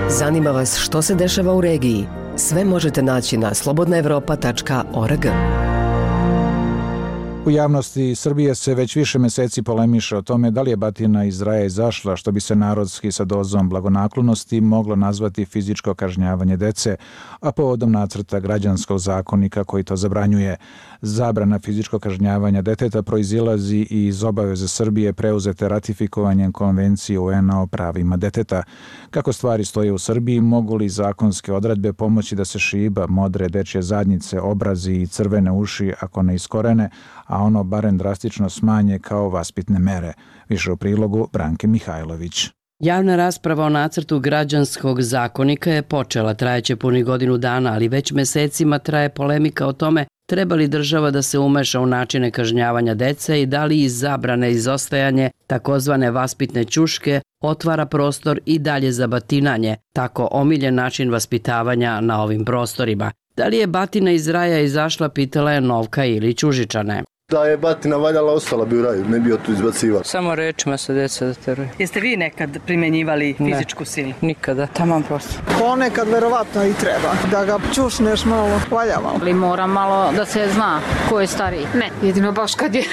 Zanima vas što se dešava u regiji? Sve možete naći na slobodnaevropa.org. U javnosti Srbije se već više meseci polemiše o tome da li je batina iz raja izašla, što bi se narodski sa dozom blagonaklonosti moglo nazvati fizičko kažnjavanje dece, a povodom nacrta građanskog zakonika koji to zabranjuje. Zabrana fizičkog kažnjavanja deteta proizilazi i iz obaveze Srbije preuzete ratifikovanjem Konvencije UN-a o pravima deteta. Kako stvari stoje u Srbiji, mogu li zakonske odredbe pomoći da se šiba, modre dečje zadnjice, obrazi i crvene uši ako ne iskorene, a ono barem drastično smanje kao vaspitne mere? Više u prilogu Branke Mihajlović. Javna rasprava o nacrtu građanskog zakonika je počela, trajeće punih godinu dana, ali već mesecima traje polemika o tome treba li država da se umeša u načine kažnjavanja dece i da li iz zabrane izostajanje takozvane vaspitne ćuške otvara prostor i dalje za batinanje, tako omiljen način vaspitavanja na ovim prostorima. Da li je batina iz raja izašla, pitala je Novka Ilić Užičane. Da je batina valjala, ostala bi u raju, ne bi tu izbaciva. Samo rečima se deca zateruje. Jeste vi nekad primjenjivali fizičku silu? Nikada, taman prosto. Ponekad verovatno i treba, da ga čušneš malo, valja malo. Ali mora malo da se zna ko je stariji. Ne, jedino baš kad je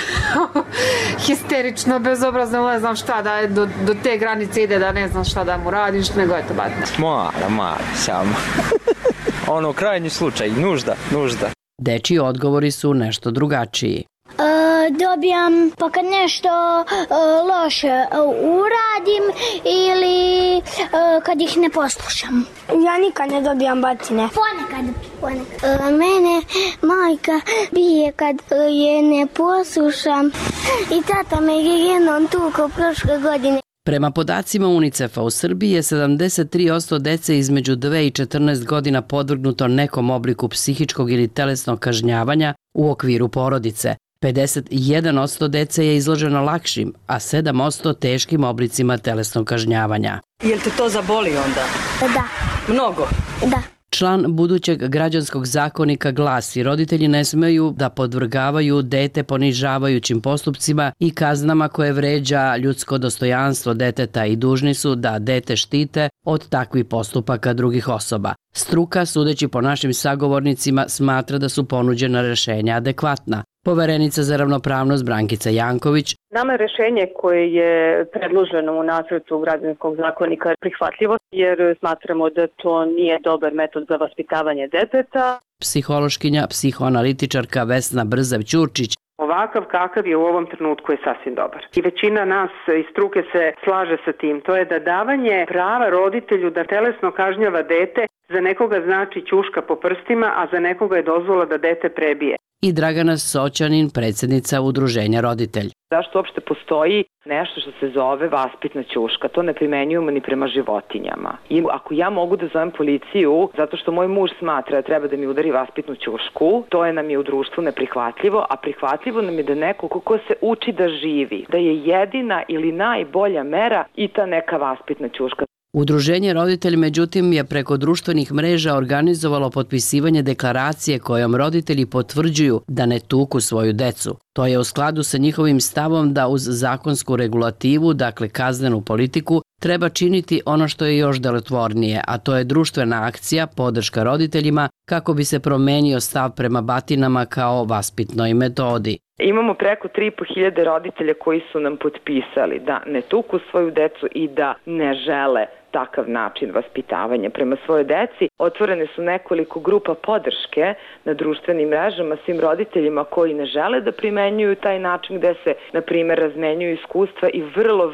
histerično, bezobrazno, ne znam šta, da do te granice ide da ne znam šta da mu radiš, nego je to batina. Mora, samo. Ono, krajnji slučaj, nužda. Dečiji odgovori su nešto drugačiji. Dobijam pa kad nešto loše uradim ili kad ih ne poslušam. Ja nikad ne dobijam batine. Ponekad. Mene majka bije kad je ne poslušam i tata me je jednom tukao prošle godine. Prema podacima UNICEF-a u Srbiji je 73% dece između 2 i 14 godina podvrgnuto nekom obliku psihičkog ili telesnog kažnjavanja u okviru porodice. 51% dece je izloženo lakšim, a 7% teškim oblicima telesnog kažnjavanja. Jel te to zaboli onda? Da. Mnogo? Da. Član budućeg građanskog zakonika glasi: roditelji ne smeju da podvrgavaju dete ponižavajućim postupcima i kaznama koje vređa ljudsko dostojanstvo deteta i dužni su da dete štite od takvih postupaka drugih osoba. Struka, sudeći po našim sagovornicima, smatra da su ponuđena rešenja adekvatna. Poverenica za ravnopravnost Brankica Janković. Nama je rešenje koje je predloženo u nacrtu građanskog zakonika prihvatljivo, jer smatramo da to nije dobar metod za vaspitavanje deteta. Psihološkinja, psihoanalitičarka Vesna Brzav-Ćurčić. Ovakav kakav je u ovom trenutku je sasvim dobar. I većina nas iz struke se slaže sa tim. To je da davanje prava roditelju da telesno kažnjava dete za nekoga znači ćuška po prstima, a za nekoga je dozvola da dete prebije. I Dragana Soćanin, predsjednica Udruženja Roditelj. Zašto uopšte postoji nešto što se zove vaspitna ćuška? To ne primenjujemo ni prema životinjama. I ako ja mogu da zovem policiju zato što moj muž smatra da treba da mi udari vaspitnu ćušku, to je nam je u društvu neprihvatljivo, a prihvatljivo nam je da neko ko se uči da živi, da je jedina ili najbolja mera i ta neka vaspitna ćuška. Udruženje Roditelj, međutim, je preko društvenih mreža organizovalo potpisivanje deklaracije kojom roditelji potvrđuju da ne tuku svoju decu. To je u skladu sa njihovim stavom da uz zakonsku regulativu, dakle kaznenu politiku, treba činiti ono što je još delotvornije, a to je društvena akcija, podrška roditeljima, kako bi se promenio stav prema batinama kao vaspitnoj metodi. Imamo preko 3.500 roditelja koji su nam potpisali da ne tuku svoju decu i da ne žele takav način vaspitavanja prema svojoj deci. Otvorene su nekoliko grupa podrške na društvenim mrežama svim roditeljima koji ne žele da primenjuju taj način, gde se, na primjer, razmenjuju iskustva i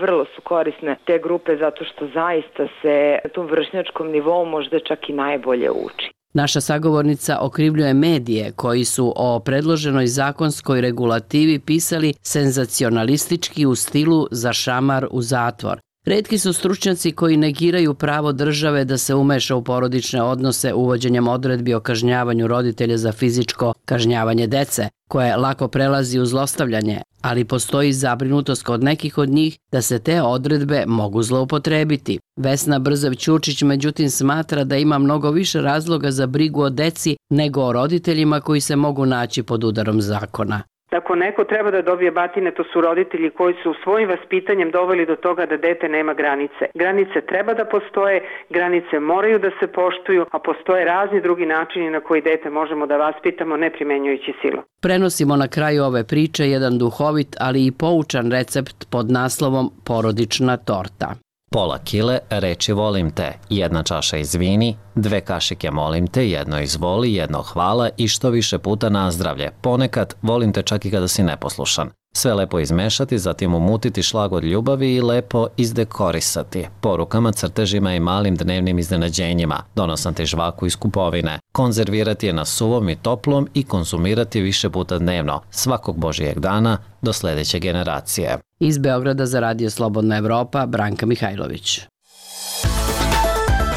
vrlo su korisne te grupe zato što zaista se na tom vršnjačkom nivou možda čak i najbolje uči. Naša sagovornica okrivljuje medije koji su o predloženoj zakonskoj regulativi pisali senzacionalistički u stilu za šamar u zatvor. Retki su stručnjaci koji negiraju pravo države da se umeša u porodične odnose uvođenjem odredbi o kažnjavanju roditelja za fizičko kažnjavanje dece, koje lako prelazi u zlostavljanje, ali postoji zabrinutost kod nekih od njih da se te odredbe mogu zloupotrebiti. Vesna Brzav-Ćurčić međutim smatra da ima mnogo više razloga za brigu o deci nego o roditeljima koji se mogu naći pod udarom zakona. Ako neko treba da dobije batine, to su roditelji koji su svojim vaspitanjem doveli do toga da dete nema granice. Granice treba da postoje, granice moraju da se poštuju, a postoje razni drugi načini na koji dete možemo da vaspitamo ne primenjujući silu. Prenosimo na kraju ove priče jedan duhovit, ali i poučan recept pod naslovom Porodična torta. Pola kile reči volim te, 1 čaša izvini, 2 kašike molim te, 1 izvoli, 1 hvala i što više puta nazdravlje. Ponekad volim te čak i kada si neposlušan. Sve lepo izmešati, zatim umutiti šlagvor ljubavi i lepo izdekorisati. Porukama, crtežima i malim dnevnim iznenađenjima. Donosati žvaku iz kupovine. Konzervirati je na suvom i toplom i konzumirati više puta dnevno. Svakog Božijeg dana do sljedeće generacije. Iz Beograda za Radio Slobodna Evropa, Branka Mihajlović.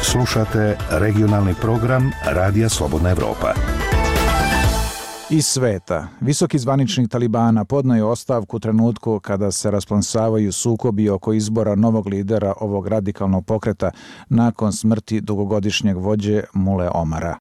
Slušate regionalni program Radija Slobodna Evropa. Iz sveta. Visoki zvaničnik Talibana podneo je ostavku u trenutku kada se rasplamsavaju sukobi oko izbora novog lidera ovog radikalnog pokreta nakon smrti dugogodišnjeg vođe Mule Omara.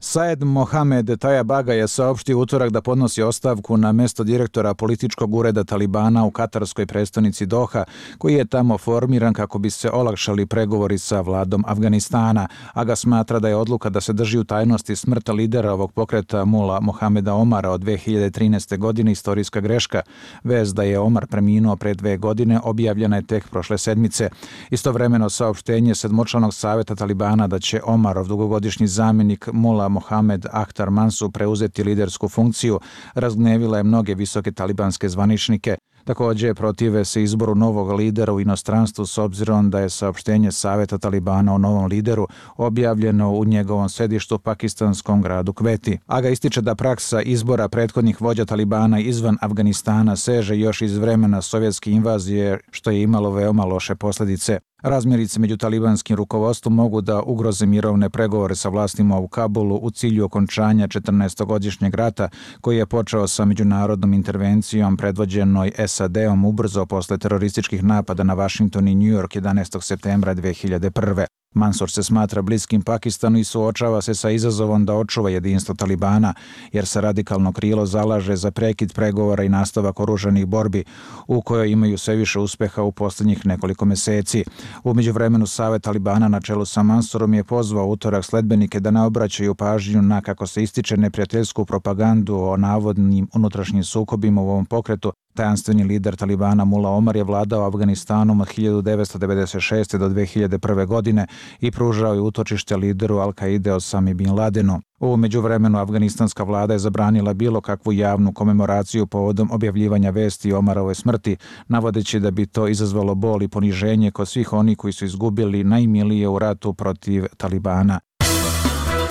Saed Mohamed Tayabaga je saopštio utorak da podnosi ostavku na mesto direktora političkog ureda Talibana u katarskoj prestonici Doha, koji je tamo formiran kako bi se olakšali pregovori sa vladom Afganistana, a ga smatra da je odluka da se drži u tajnosti smrta lidera ovog pokreta Mula Mohameda Omara od 2013. godine istorijska greška. Vest da je Omar preminuo pre 2 godine objavljena je tek prošle sedmice. Istovremeno saopštenje sedmočlanog saveta Talibana da će Omarov dugogodišnji zamjenik Mula Mohamed Akhtar Mansur preuzeti lidersku funkciju razgnevila je mnoge visoke talibanske zvaničnike. Također protive se izboru novog lidera u inostranstvu s obzirom da je saopštenje Saveta Talibana o novom lideru objavljeno u njegovom sedištu u pakistanskom gradu Kveti. Aga ističe da praksa izbora prethodnih vođa Talibana izvan Afganistana seže još iz vremena sovjetske invazije, što je imalo veoma loše posljedice. Razmirice među talibanskim rukovodstvom mogu da ugroze mirovne pregovore sa vlastima u Kabulu u cilju okončanja 14-godišnjeg rata koji je počeo sa međunarodnom intervencijom predvođenoj SAD-om ubrzo posle terorističkih napada na Washington i New York 11. septembra 2001. Mansur se smatra bliskim Pakistanu i suočava se sa izazovom da očuva jedinstvo Talibana, jer se radikalno krilo zalaže za prekid pregovora i nastavak oružanih borbi, u kojoj imaju sve više uspeha u posljednjih nekoliko meseci. U međuvremenu Savet Talibana na čelu sa Mansurom je pozvao utorak sledbenike da ne obraćaju pažnju na, kako se ističe, neprijateljsku propagandu o navodnim unutrašnjim sukobima u ovom pokretu. Tajanstveni lider Talibana Mula Omar je vladao Afganistanom od 1996. do 2001. godine i pružao je utočište lideru Al-Kaide Osami Bin Ladenu. U međuvremenu afganistanska vlada je zabranila bilo kakvu javnu komemoraciju povodom objavljivanja vesti o Omarovoj smrti, navodeći da bi to izazvalo bol i poniženje kod svih onih koji su izgubili najmilije u ratu protiv Talibana.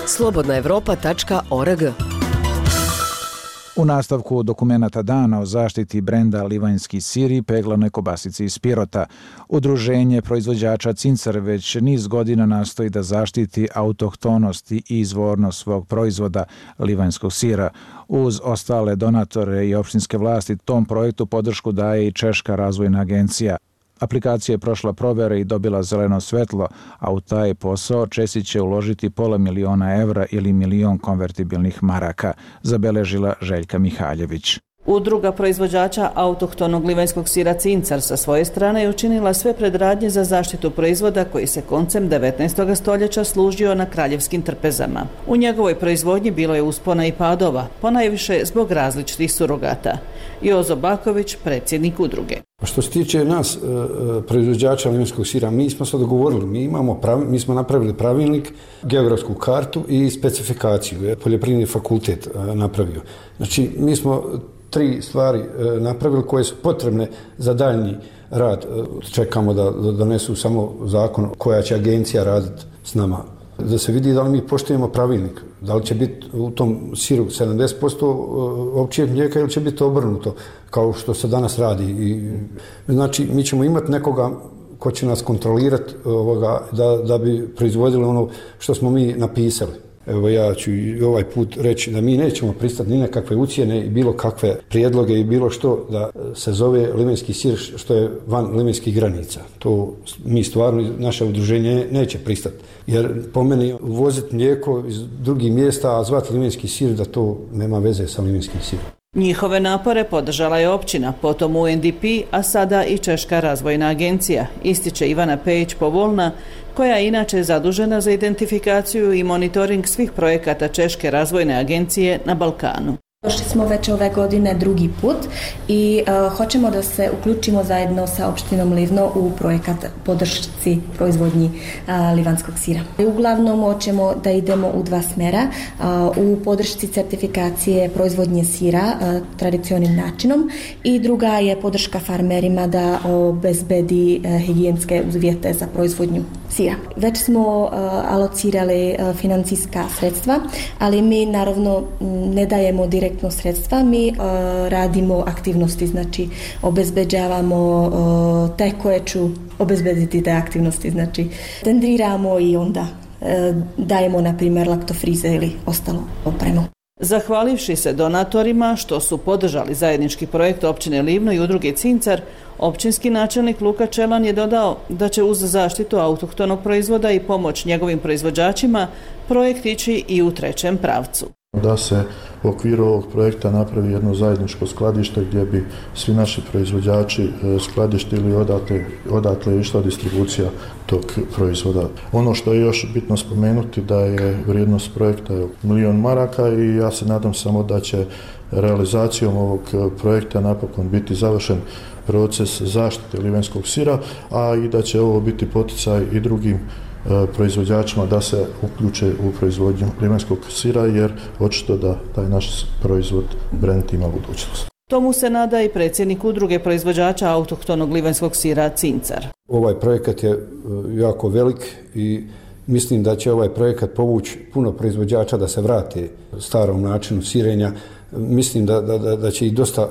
slobodnaevropa.org. U nastavku dokumenata dana o zaštiti brenda Livanjski sir i peglanoj kobasici iz Pirota, udruženje proizvođača Cincar već niz godina nastoji da zaštiti autohtonost i izvornost svog proizvoda livanjskog sira. Uz ostale donatore i opštinske vlasti tom projektu podršku daje i Češka razvojna agencija. Aplikacija je prošla provere i dobila zeleno svetlo, a u taj posao Česić će uložiti $500.000 evra ili 1 milion konvertibilnih maraka, zabeležila Željka Mihaljević. Udruga proizvođača autohtonog livanjskog sira Cincar sa svoje strane je učinila sve predradnje za zaštitu proizvoda koji se koncem 19. stoljeća služio na kraljevskim trpezama. U njegovoj proizvodnji bilo je uspona i padova, ponajviše zbog različitih surogata. Jozo Baković, predsjednik udruge. Što se tiče nas, proizvođača livanjskog sira, mi smo se dogovorili, mi smo napravili pravilnik, geografsku kartu i specifikaciju. Poljoprivredni fakultet napravio. Znači, mi smo 3 stvari napravili koje su potrebne za daljnji rad. Čekamo da donesu samo zakon koja će agencija raditi s nama. Da se vidi da li mi poštujemo pravilnik, da li će biti u tom siru 70% ovčjeg mlijeka ili će biti obrnuto, kao što se danas radi. Znači, mi ćemo imati nekoga ko će nas kontrolirati da bi proizvodili ono što smo mi napisali. Evo, ja ću i ovaj put reći da mi nećemo pristati ni na kakve ucjene i bilo kakve prijedloge i bilo što da se zove livanjski sir što je van livanjskih granica. To mi stvarno, naše udruženje neće pristati. Jer po meni uvoziti mlijeko iz drugih mjesta, a zvati livanjski sir, da to nema veze sa livanjskim sirom. Njihove napore podržala je općina, potom UNDP, a sada i Češka razvojna agencija, ističe Ivana Pejić-Povolna, koja je inače zadužena za identifikaciju i monitoring svih projekata Češke razvojne agencije na Balkanu. Došli smo već ove godine drugi put i hoćemo da se uključimo zajedno sa opštinom Livno u projekat podršci proizvodnji livanjskog sira. Uglavnom hoćemo da idemo u 2 smjera, u podršci certifikacije proizvodnje sira tradicionalnim načinom i druga je podrška farmerima da obezbedi higijenske uvjete za proizvodnju sira. Već smo alocirali financijska sredstva, ali mi naravno ne dajemo direktno sredstva, mi radimo aktivnosti, znači obezbeđavamo te koje ću obezbediti te aktivnosti, znači tendriramo i onda dajemo na primjer laktofrize ili ostalo opremu. Zahvalivši se donatorima što su podržali zajednički projekt općine Livno i udruge Cincar, općinski načelnik Luka Čelan je dodao da će uz zaštitu autohtonog proizvoda i pomoć njegovim proizvođačima projekt ići i u 3. pravcu. Da se u okviru ovog projekta napravi jedno zajedničko skladište gdje bi svi naši proizvođači skladištili odatle išla distribucija tog proizvoda. Ono što je još bitno spomenuti da je vrijednost projekta $1 milion maraka i ja se nadam samo da će realizacijom ovog projekta napokon biti završen proces zaštite livanjskog sira, a i da će ovo biti poticaj i drugim proizvođačima da se uključe u proizvodnju livanjskog sira, jer očito da taj naš proizvod, brend ima budućnost. Tomu se nada i predsjednik udruge proizvođača autohtonog livanjskog sira Cincar. Ovaj projekat je jako velik i mislim da će ovaj projekat povući puno proizvođača da se vrate starom načinu sirenja. Mislim da će i dosta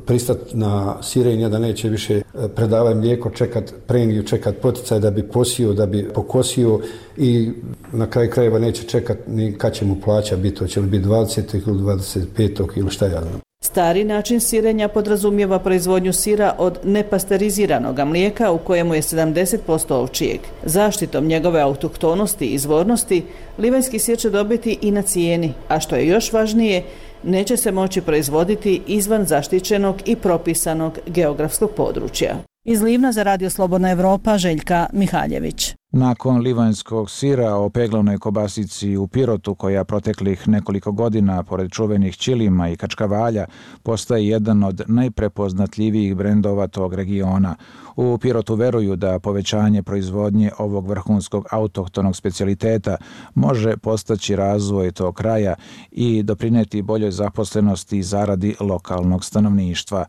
pristati na sirenje, da neće više predavati mlijeko, čekat premiju, čekat poticaj da bi posio, da bi pokosio i na kraju krajeva neće čekat ni kad će mu plaća biti, hoće li biti 20. ili 25. ili šta ja znam. Stari način sirenja podrazumijeva proizvodnju sira od nepasteriziranog mlijeka u kojemu je 70% ovčijeg. Zaštitom njegove autohtonosti i izvornosti, livanjski sir će dobiti i na cijeni, a što je još važnije, neće se moći proizvoditi izvan zaštićenog i propisanog geografskog područja. Iz Livna za Radio Slobodna Evropa, Željka Mihaljević. Nakon livanjskog sira o peglavnoj kobasici u Pirotu, koja proteklih nekoliko godina, pored čuvenih ćilima i kačkavalja, postaje jedan od najprepoznatljivijih brendova tog regiona. U Pirotu veruju da povećanje proizvodnje ovog vrhunskog autohtonog specijaliteta može postaći razvoj tog kraja i doprineti boljoj zaposlenosti i zaradi lokalnog stanovništva.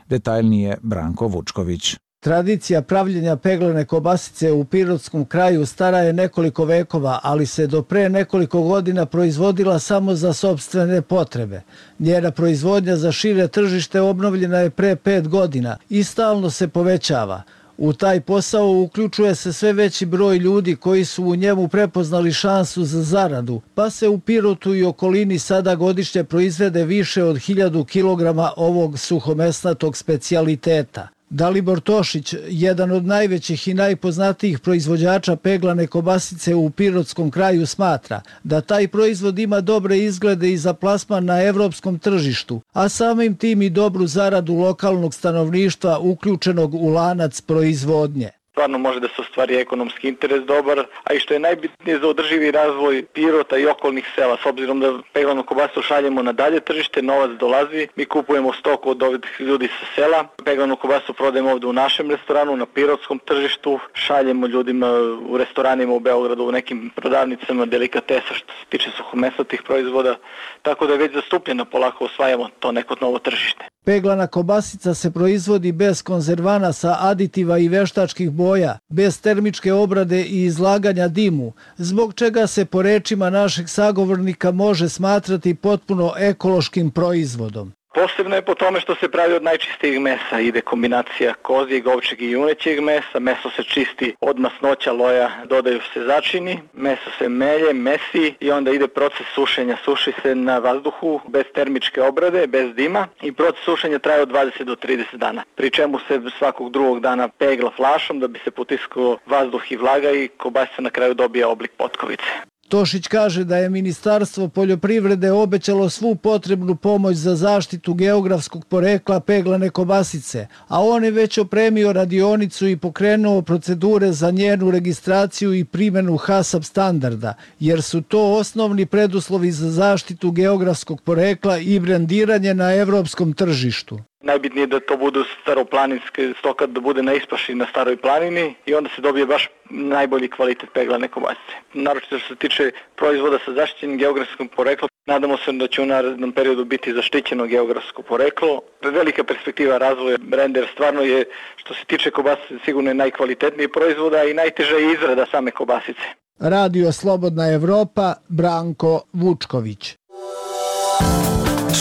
Detaljnije Branko Vučković. Tradicija pravljenja peglavne kobasice u pirotskom kraju stara je nekoliko vekova, ali se do pre nekoliko godina proizvodila samo za sopstvene potrebe. Njena proizvodnja za šire tržište obnovljena je pre 5 godina i stalno se povećava. U taj posao uključuje se sve veći broj ljudi koji su u njemu prepoznali šansu za zaradu, pa se u Pirotu i okolini sada godišnje proizvede više od 1000 kg ovog suhomesnatog specijaliteta. Dalibor Tošić, jedan od najvećih i najpoznatijih proizvođača peglane kobasice u Pirotskom kraju, smatra da taj proizvod ima dobre izglede i za plasman na evropskom tržištu, a samim tim i dobru zaradu lokalnog stanovništva uključenog u lanac proizvodnje. Stvarno može da se ostvari ekonomski interes dobar, a i što je najbitnije za održivi razvoj Pirota i okolnih sela. S obzirom da peglanu kobasu šaljemo na dalje tržište, novac dolazi, mi kupujemo stoku od ovih ljudi sa sela, peglanu kobasu prodajemo ovdje u našem restoranu, na pirotskom tržištu, šaljemo ljudima u restoranima u Beogradu, u nekim prodavnicama delikatesa što se tiče suhomesnatih proizvoda, tako da je već zastupljeno, polako osvajamo to neko novo tržište. Peglana kobasica se proizvodi bez konzervanasa, aditiva i veštačkih boja, bez termičke obrade i izlaganja dimu, zbog čega se po rečima našeg sagovornika može smatrati potpuno ekološkim proizvodom. Posebno je po tome što se pravi od najčistijeg mesa, ide kombinacija kozijeg, ovčeg i junećeg mesa, meso se čisti od masnoća, loja, dodaju se začini, meso se melje, mesi i onda ide proces sušenja, suši se na vazduhu bez termičke obrade, bez dima i proces sušenja traje od 20 do 30 dana, pri čemu se svakog drugog dana pegla flašom da bi se potiskao vazduh i vlaga i kobasica na kraju dobija oblik potkovice. Tošić kaže da je Ministarstvo poljoprivrede obećalo svu potrebnu pomoć za zaštitu geografskog porekla peglane kobasice, a on je već opremio radionicu i pokrenuo procedure za njenu registraciju i primjenu HACCP standarda, jer su to osnovni preduslovi za zaštitu geografskog porekla i brendiranje na evropskom tržištu. Najbitnije je da to budu staroplaninske stoka, da bude na ispaši na staroj planini i onda se dobije baš najbolji kvalitet peglane kobasice. Naročito što se tiče proizvoda sa zaštićenim geografskim poreklom, nadamo se da će u narednom periodu biti zaštićeno geografsko poreklo. Velika perspektiva razvoja brenda, jer stvarno je, što se tiče kobasice, sigurno je najkvalitetniji proizvoda i najteža je izrada same kobasice. Radio Slobodna Evropa, Branko Vučković.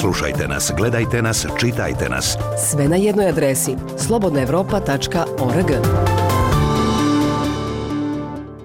Slušajte nas, gledajte nas, čitajte nas. Sve na jednoj adresi slobodnaevropa.org.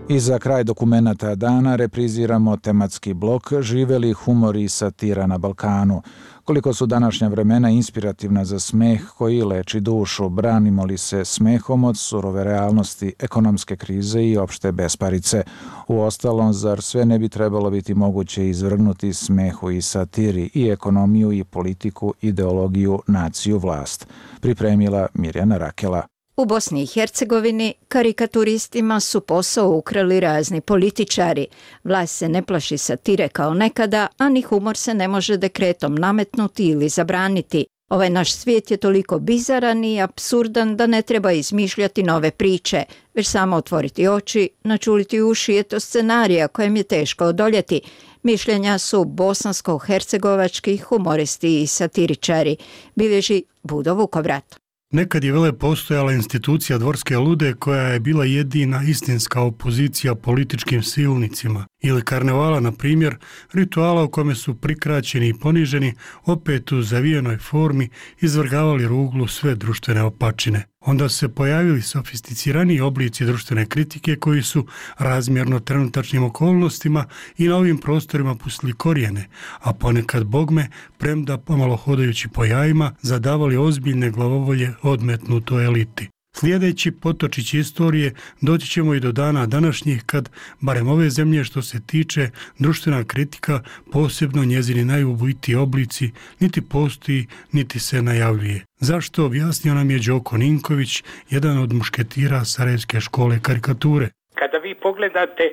I za kraj dokumenata dana repriziramo tematski blok Živeli humor i satira na Balkanu. Koliko su današnja vremena inspirativna za smeh koji leči dušu, branimo li se smehom od surove realnosti, ekonomske krize i opšte besparice. Uostalom, zar sve ne bi trebalo biti moguće izvrgnuti smehu i satiri i ekonomiju i politiku, ideologiju, naciju, vlast? Pripremila Mirjana Rakela. U Bosni i Hercegovini karikaturistima su posao ukrali razni političari. Vlast se ne plaši satire kao nekada, a ni humor se ne može dekretom nametnuti ili zabraniti. Ovaj naš svijet je toliko bizaran i apsurdan da ne treba izmišljati nove priče, već samo otvoriti oči, načuliti uši, eto scenarija kojem je teško odoljeti. Mišljenja su bosansko-hercegovački humoristi i satiričari, bilježi Budo Vukovrat. Nekad je vele postojala institucija Dvorske lude koja je bila jedina istinska opozicija političkim silnicima. Ili karnevala, na primjer, rituala u kome su prikraćeni i poniženi, opet u zavijenoj formi izvrgavali ruglu sve društvene opačine. Onda se pojavili sofisticiraniji oblici društvene kritike koji su razmjerno trenutačnim okolnostima i na ovim prostorima pustili korijene, a ponekad bogme, premda pomalo hodajući po jajima, zadavali ozbiljne glavovolje odmetnutoj eliti. Slijedeći potočići istorije, doći ćemo i do dana današnjih kad, barem ove zemlje što se tiče, društvena kritika, posebno njezini najubojitiji oblici, niti postoji, niti se najavljuje. Zašto, objasnio nam je Đoko Ninković, jedan od mušketira Sarajevske škole karikature. Kada vi pogledate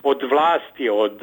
od vlasti, od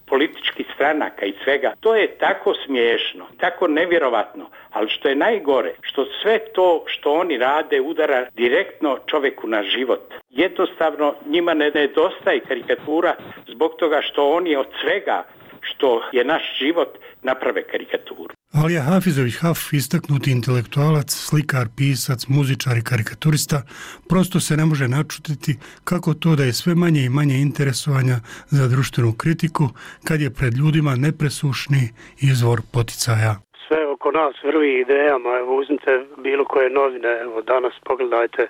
političkih stranaka i svega, to je tako smiješno, tako nevjerovatno, ali što je najgore, što sve to što oni rade udara direktno čovjeku na život. Jednostavno njima ne nedostaje karikatura zbog toga što oni od svega što je naš život naprave karikaturu. Alija Hafizović Haf, istaknuti intelektualac, slikar, pisac, muzičar i karikaturista, prosto se ne može načutiti kako to da je sve manje i manje interesovanja za društvenu kritiku kad je pred ljudima nepresušni izvor poticaja. Sve oko nas vrvi idejama, evo uzmite bilo koje novine, evo danas pogledajte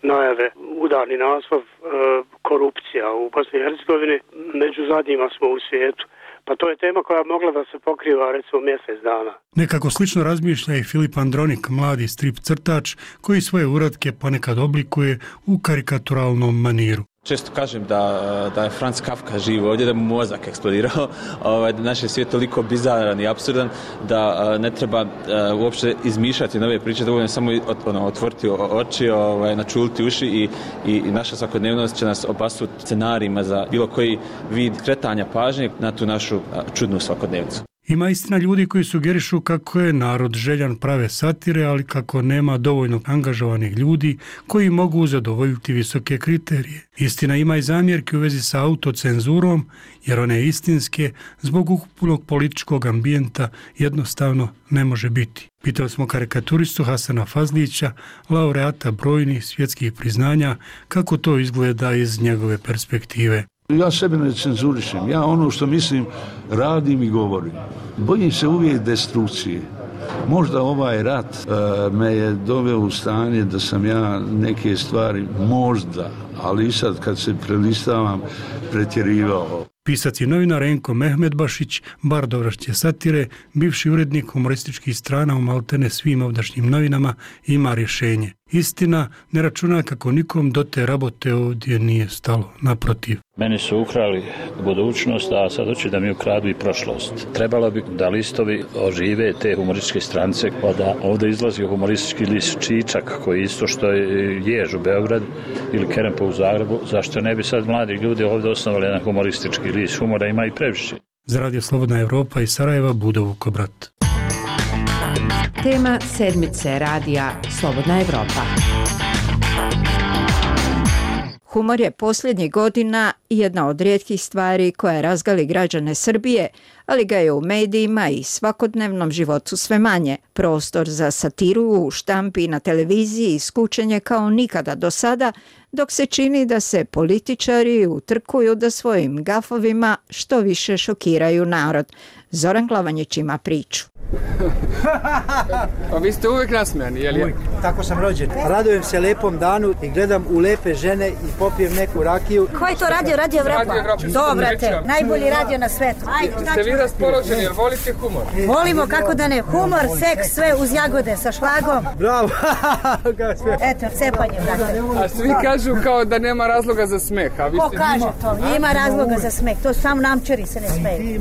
najave, udarni naslov, korupcija u Bosni i Hercegovini, među zadnjima smo u svijetu. Pa to je tema koja mogla da se pokriva recimo mjesec dana. Nekako slično razmišlja i Filip Andronik, mladi strip crtač koji svoje uratke ponekad oblikuje u karikaturalnom maniru. Često kažem da je Franz Kafka živ ovdje, da mu mozak eksplodirao, da naš je svijet toliko bizaran i apsurdan da ne treba uopće izmišljati nove priče, dovoljno samo otvoriti oči, načuliti uši i naša svakodnevnost će nas opasuti scenarijima za bilo koji vid kretanja pažnje na tu našu čudnu svakodnevnicu. Ima istina ljudi koji sugerišu kako je narod željan prave satire, ali kako nema dovoljno angažovanih ljudi koji mogu zadovoljiti visoke kriterije. Istina ima i zamjerke u vezi sa autocenzurom, jer one istinske zbog ukupnog političkog ambijenta jednostavno ne može biti. Pitali smo karikaturistu Hasana Fazlića, laureata brojnih svjetskih priznanja, kako to izgleda iz njegove perspektive. Ja sebe ne cenzurišem, ja ono što mislim radim i govorim. Bojim se uvijek destrukcije. Možda ovaj rat me je doveo u stanje da sam ja neke stvari možda, ali i sad kad se prelistavam, pretjerivao. Pisac i novinar Enko Mehmedbašić, bardovrašće satire, bivši urednik humorističkih strana u maltene svim ovdašnjim novinama, ima rješenje. Istina, ne računa kako nikom do te rabote ovdje nije stalo, naprotiv. Meni su ukrali budućnost, a sad hoće da mi ukradu i prošlost. Trebalo bi da listovi ožive te humorističke strance, pa da ovdje izlazi humoristički list Čičak, koji isto što je Jež u Beograd ili Kerempo u Zagrebu. Zašto ne bi sad mladi ljudi ovdje osnovali jedan humoristički list? Humora ima i previše. Za Radio Slobodna Evropa iz Sarajeva, Budo Vukobrat. Tema sedmice radija Slobodna Evropa. Humor je posljednjih godina jedna od rijetkih stvari koja razgali građane Srbije, ali ga je u medijima i svakodnevnom životu sve manje. Prostor za satiru u štampi i na televiziji iskučen je kao nikada do sada, dok se čini da se političari utrkuju da svojim gafovima što više šokiraju narod. Zoran Glavanjić ima priču. Pa vi ste uvijek nasmijani, je li? Uvijek, tako sam rođen. Radujem se lepom danu i gledam u lepe žene i popijem neku rakiju. Ko je to radio? Radio Evropa? Dobrate, najbolji radio na svetu. Ste vi raspoloženi, jer volite humor? Volimo, kako da ne. Humor, seks, sve uz jagode sa šlagom. Bravo! Eto, cepanje, brate. A svi kažu kao da nema razloga za smeh. Ko kaže to? Ima razloga za smeh. To samo namčari se ne smeju.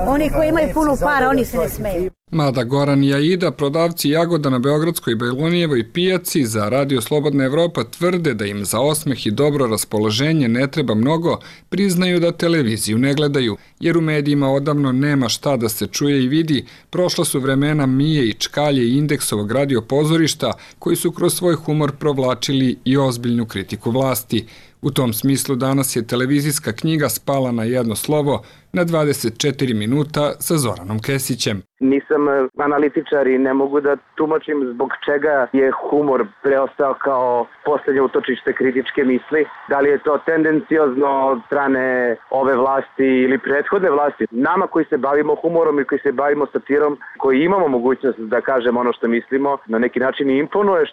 Oni koji imaju puno para, oni se ne smeju. Mada Goran i Aida, prodavci jagoda na Beogradskoj Bajlonijevoj pijaci za Radio Slobodna Evropa, tvrde da im za osmeh i dobro raspoloženje ne treba mnogo, priznaju da televiziju ne gledaju, jer u medijima odavno nema šta da se čuje i vidi. Prošla su vremena Mije i Čkalje i Indeksovog radio pozorišta, koji su kroz svoj humor provlačili i ozbiljnu kritiku vlasti. U tom smislu danas je televizijska knjiga spala na jedno slovo, na 24 minuta sa Zoranom Kesićem. Nisam analitičar i ne mogu da tumačim zbog čega je humor preostao kao posljednje utočište kritičke misli. Da li je to tendenciozno od strane ove vlasti ili prethodne vlasti. Nama koji se bavimo humorom i koji se bavimo satirom, koji imamo mogućnost da kažemo ono što mislimo, na neki način i imponuje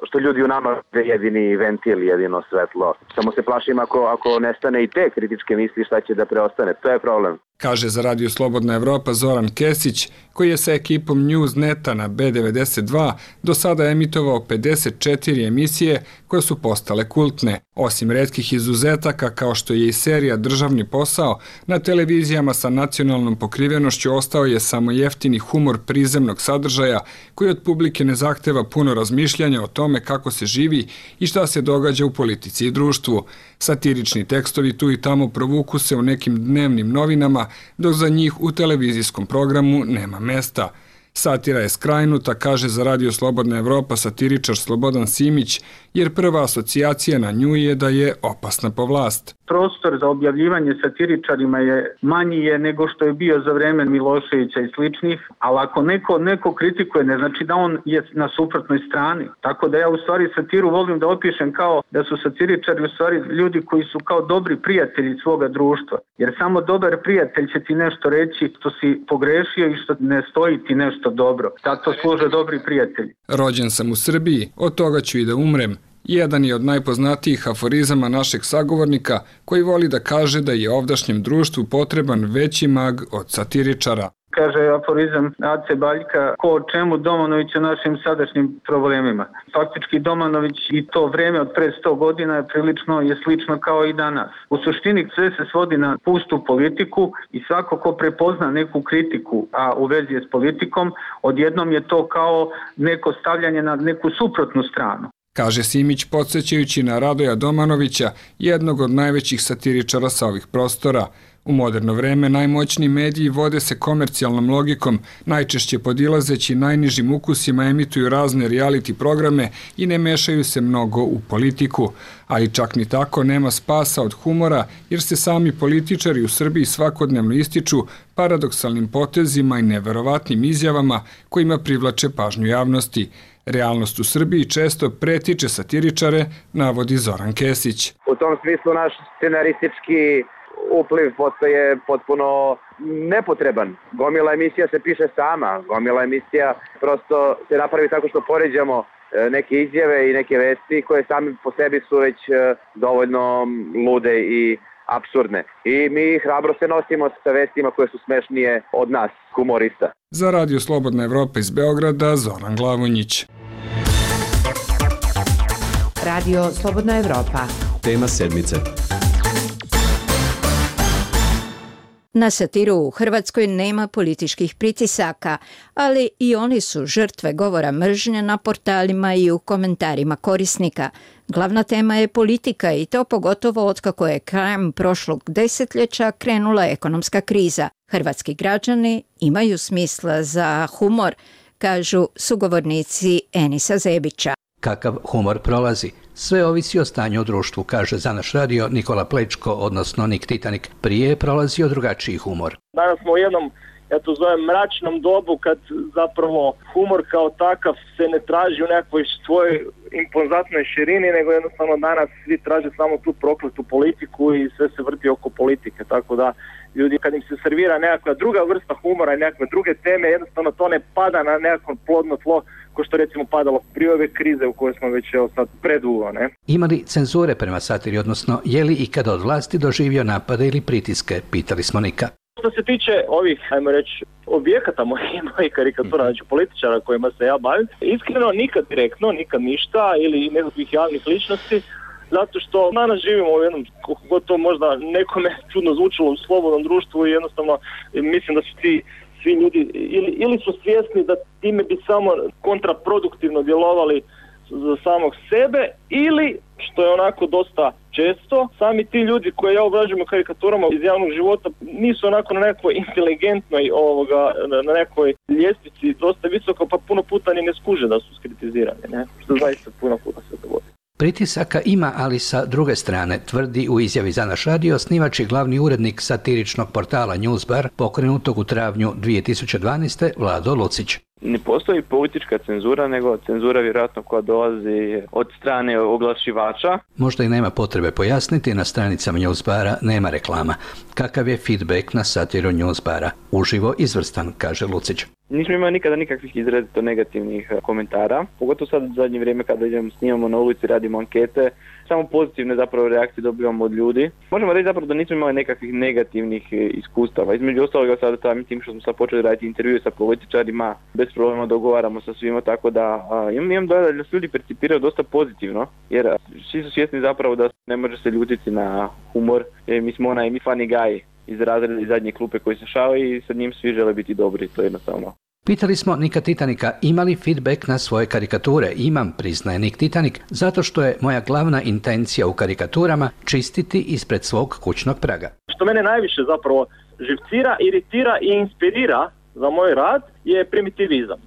što ljudi u nama je jedini ventil, jedino svetlo. Samo se plašim ako nestane i te kritičke misli, šta će da preostane. To je problem. Kaže za Radio Slobodna Evropa Zoran Kesić, koji je sa ekipom Newsneta na B92 do sada emitovao 54 emisije koje su postale kultne. Osim retkih izuzetaka kao što je i serija Državni posao, na televizijama sa nacionalnom pokrivenošću ostao je samo jeftini humor prizemnog sadržaja koji od publike ne zahteva puno razmišljanja o tome kako se živi i šta se događa u politici i društvu. Satirični tekstovi tu i tamo provuku se u nekim dnevnim novinama, dok za njih u televizijskom programu nema mesta. Satira je skrajnuta, kaže za Radio Slobodna Evropa satiričar Slobodan Simić, jer prva asocijacija na nju je da je opasna po vlast. Prostor za objavljivanje satiričarima je manji nego što je bio za vreme Miloševića i sličnih, ali ako neko kritikuje, ne znači da on je na suprotnoj strani. Tako da ja u stvari satiru volim da opišem kao da su satiričari u stvari ljudi koji su kao dobri prijatelji svoga društva. Jer samo dobar prijatelj će ti nešto reći što si pogrešio i što ne stoji ti nešto dobro. Zato služe dobri prijatelji. Rođen sam u Srbiji, od toga ću i da umrem. Jedan je od najpoznatijih aforizama našeg sagovornika koji voli da kaže da je ovdašnjem društvu potreban veći mag od satiričara. Kaže aforizam Ace Baljka, ko o čemu, Domanović o našim sadašnjim problemima. Faktički Domanović i to vreme od pre 100 godina je slično kao i danas. U suštini sve se svodi na pustu politiku i svako ko prepozna neku kritiku, a u vezi je s politikom, odjednom je to kao neko stavljanje na neku suprotnu stranu. Kaže Simić podsjećajući na Radoja Domanovića, jednog od najvećih satiričara sa ovih prostora. U moderno vreme najmoćniji mediji vode se komercijalnom logikom, najčešće podilazeći najnižim ukusima emituju razne reality programe i ne mešaju se mnogo u politiku. Ali čak ni tako nema spasa od humora jer se sami političari u Srbiji svakodnevno ističu paradoksalnim potezima i neverovatnim izjavama kojima privlače pažnju javnosti. Realnost u Srbiji često pretiče satiričare, navodi Zoran Kesić. U tom smislu naš scenaristički upliv postaje potpuno nepotreban. Gomila emisija se piše sama, gomila emisija prosto se napravi tako što poređamo neke izjave i neke vesti koje sami po sebi su već dovoljno lude i apsurdne. I mi hrabro se nosimo sa vestima koje su smešnije od nas, humorista. Za Radio Slobodna Evropa iz Beograda, Zoran Glavonjić. Radio Slobodna Evropa. Tema sedmice. Na satiru u Hrvatskoj nema političkih pritisaka, ali i oni su žrtve govora mržnje na portalima i u komentarima korisnika. Glavna tema je politika i to pogotovo otkako je krajem prošlog desetljeća krenula ekonomska kriza. Hrvatski građani imaju smisla za humor, kažu sugovornici Enisa Zebića. Kakav humor prolazi? Sve ovisi o stanju u društvu, kaže za naš radio Nikola Plečko, odnosno Nik Titanik. Prije je prolazio drugačiji humor. Danas smo u jednom, ja to zovem, mračnom dobu kad zapravo humor kao takav se ne traži u nekoj svojoj impozantnoj širini, nego jednostavno danas svi traže samo tu prokletu politiku i sve se vrti oko politike, tako da ljudi kad im se servira nekakva druga vrsta humora i nekakve druge teme, jednostavno to ne pada na nekako plodno tlo ko što recimo padalo prije ove krize u kojoj smo već sad predugo, ne? Ima li cenzure prema satiri, odnosno je li ikada od vlasti doživio napade ili pritiske, pitali smo Nika. Što se tiče ovih, ajmo reći, objekata mojih karikatura, znači političara kojima se ja bavim, iskreno nikad direktno, nikad ništa ili nekakvih javnih ličnosti, zato što danas živimo u jednom, kako to možda nekome čudno zvučilo, u slobodnom društvu i jednostavno mislim da su svi ljudi ili su svjesni da time bi samo kontraproduktivno djelovali za samog sebe ili, što je onako dosta često, sami ti ljudi koje ja obrađujem karikaturama iz javnog života nisu onako na nekoj inteligentnoj na nekoj ljestvici dosta visoko, pa puno puta ni ne skuže da su skritizirani, ne? Što zaista puno puta se dogodi. Pritisaka ima, ali sa druge strane, tvrdi u izjavi za naš radio osnivač i glavni urednik satiričnog portala Newsbar, pokrenutog u travnju 2012. Vlado Lucić. Ne postoji politička cenzura, nego cenzura vjerojatno koja dolazi od strane oglašivača. Možda i nema potrebe pojasniti, na stranicama Newsbara nema reklama. Kakav je feedback na satiru Newsbara? Uživo izvrstan, kaže Lucić. Nismo imali nikada nikakvih izrazito negativnih komentara, pogotovo sad u zadnje vrijeme kada snimamo na ulici, radimo ankete, samo pozitivne zapravo reakcije dobivamo od ljudi. Možemo reći zapravo da nismo imali nekakvih negativnih iskustava. Između ostaloga sada samim tim što smo sad počeli raditi intervjue sa političarima, bez problema dogovaramo sa svima, tako da imam dojam da se ljudi percipiraju dosta pozitivno, jer svi su svjesni zapravo da ne može se ljutiti na humor, jer mi smo onaj funny guy iz razreda iz zadnje klupe koji se šali i sa njim svi žele biti dobri, to je jednostavno. Pitali smo Nika Titanika ima li feedback na svoje karikature. Imam, priznaje Nik Titanik, zato što je moja glavna intencija u karikaturama čistiti ispred svog kućnog praga. Što mene najviše zapravo živcira, iritira i inspirira za moj rad je primitivizam.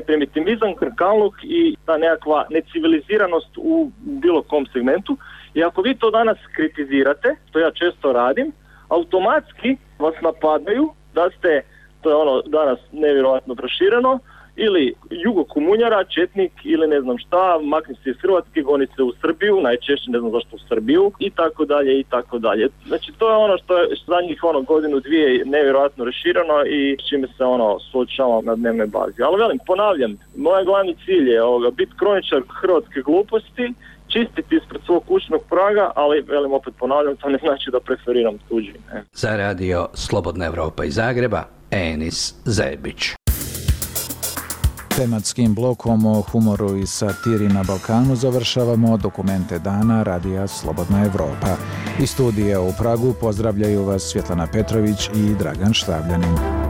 Primitivizam, krkaluk i ta nekakva neciviliziranost u bilo kom segmentu. I ako vi to danas kritizirate, što ja često radim, automatski vas napadaju da ste, to je danas nevjerojatno prošireno, ili jugokomunjara, četnik ili ne znam šta, makni se iz Hrvatske, goni se u Srbiju, najčešće ne znam zašto u Srbiju i tako dalje i tako dalje. Znači to je što je zadnjih godinu, dvije nevjerojatno rašireno i s čime se suočavam na dnevnoj bazi. Ali ponavljam, moj glavni cilj je biti kroničar hrvatske gluposti čistiti ispred svog kućnog praga, ali velim opet ponavljam, to ne znači da preferiram tuđi. Za radio Slobodna Evropa iz Zagreba, Enis Zebić. Tematskim blokom o humoru i satiri na Balkanu završavamo dokumente dana radija Slobodna Evropa. Iz studija u Pragu pozdravljaju vas Svjetlana Petrović i Dragan Štavljanin.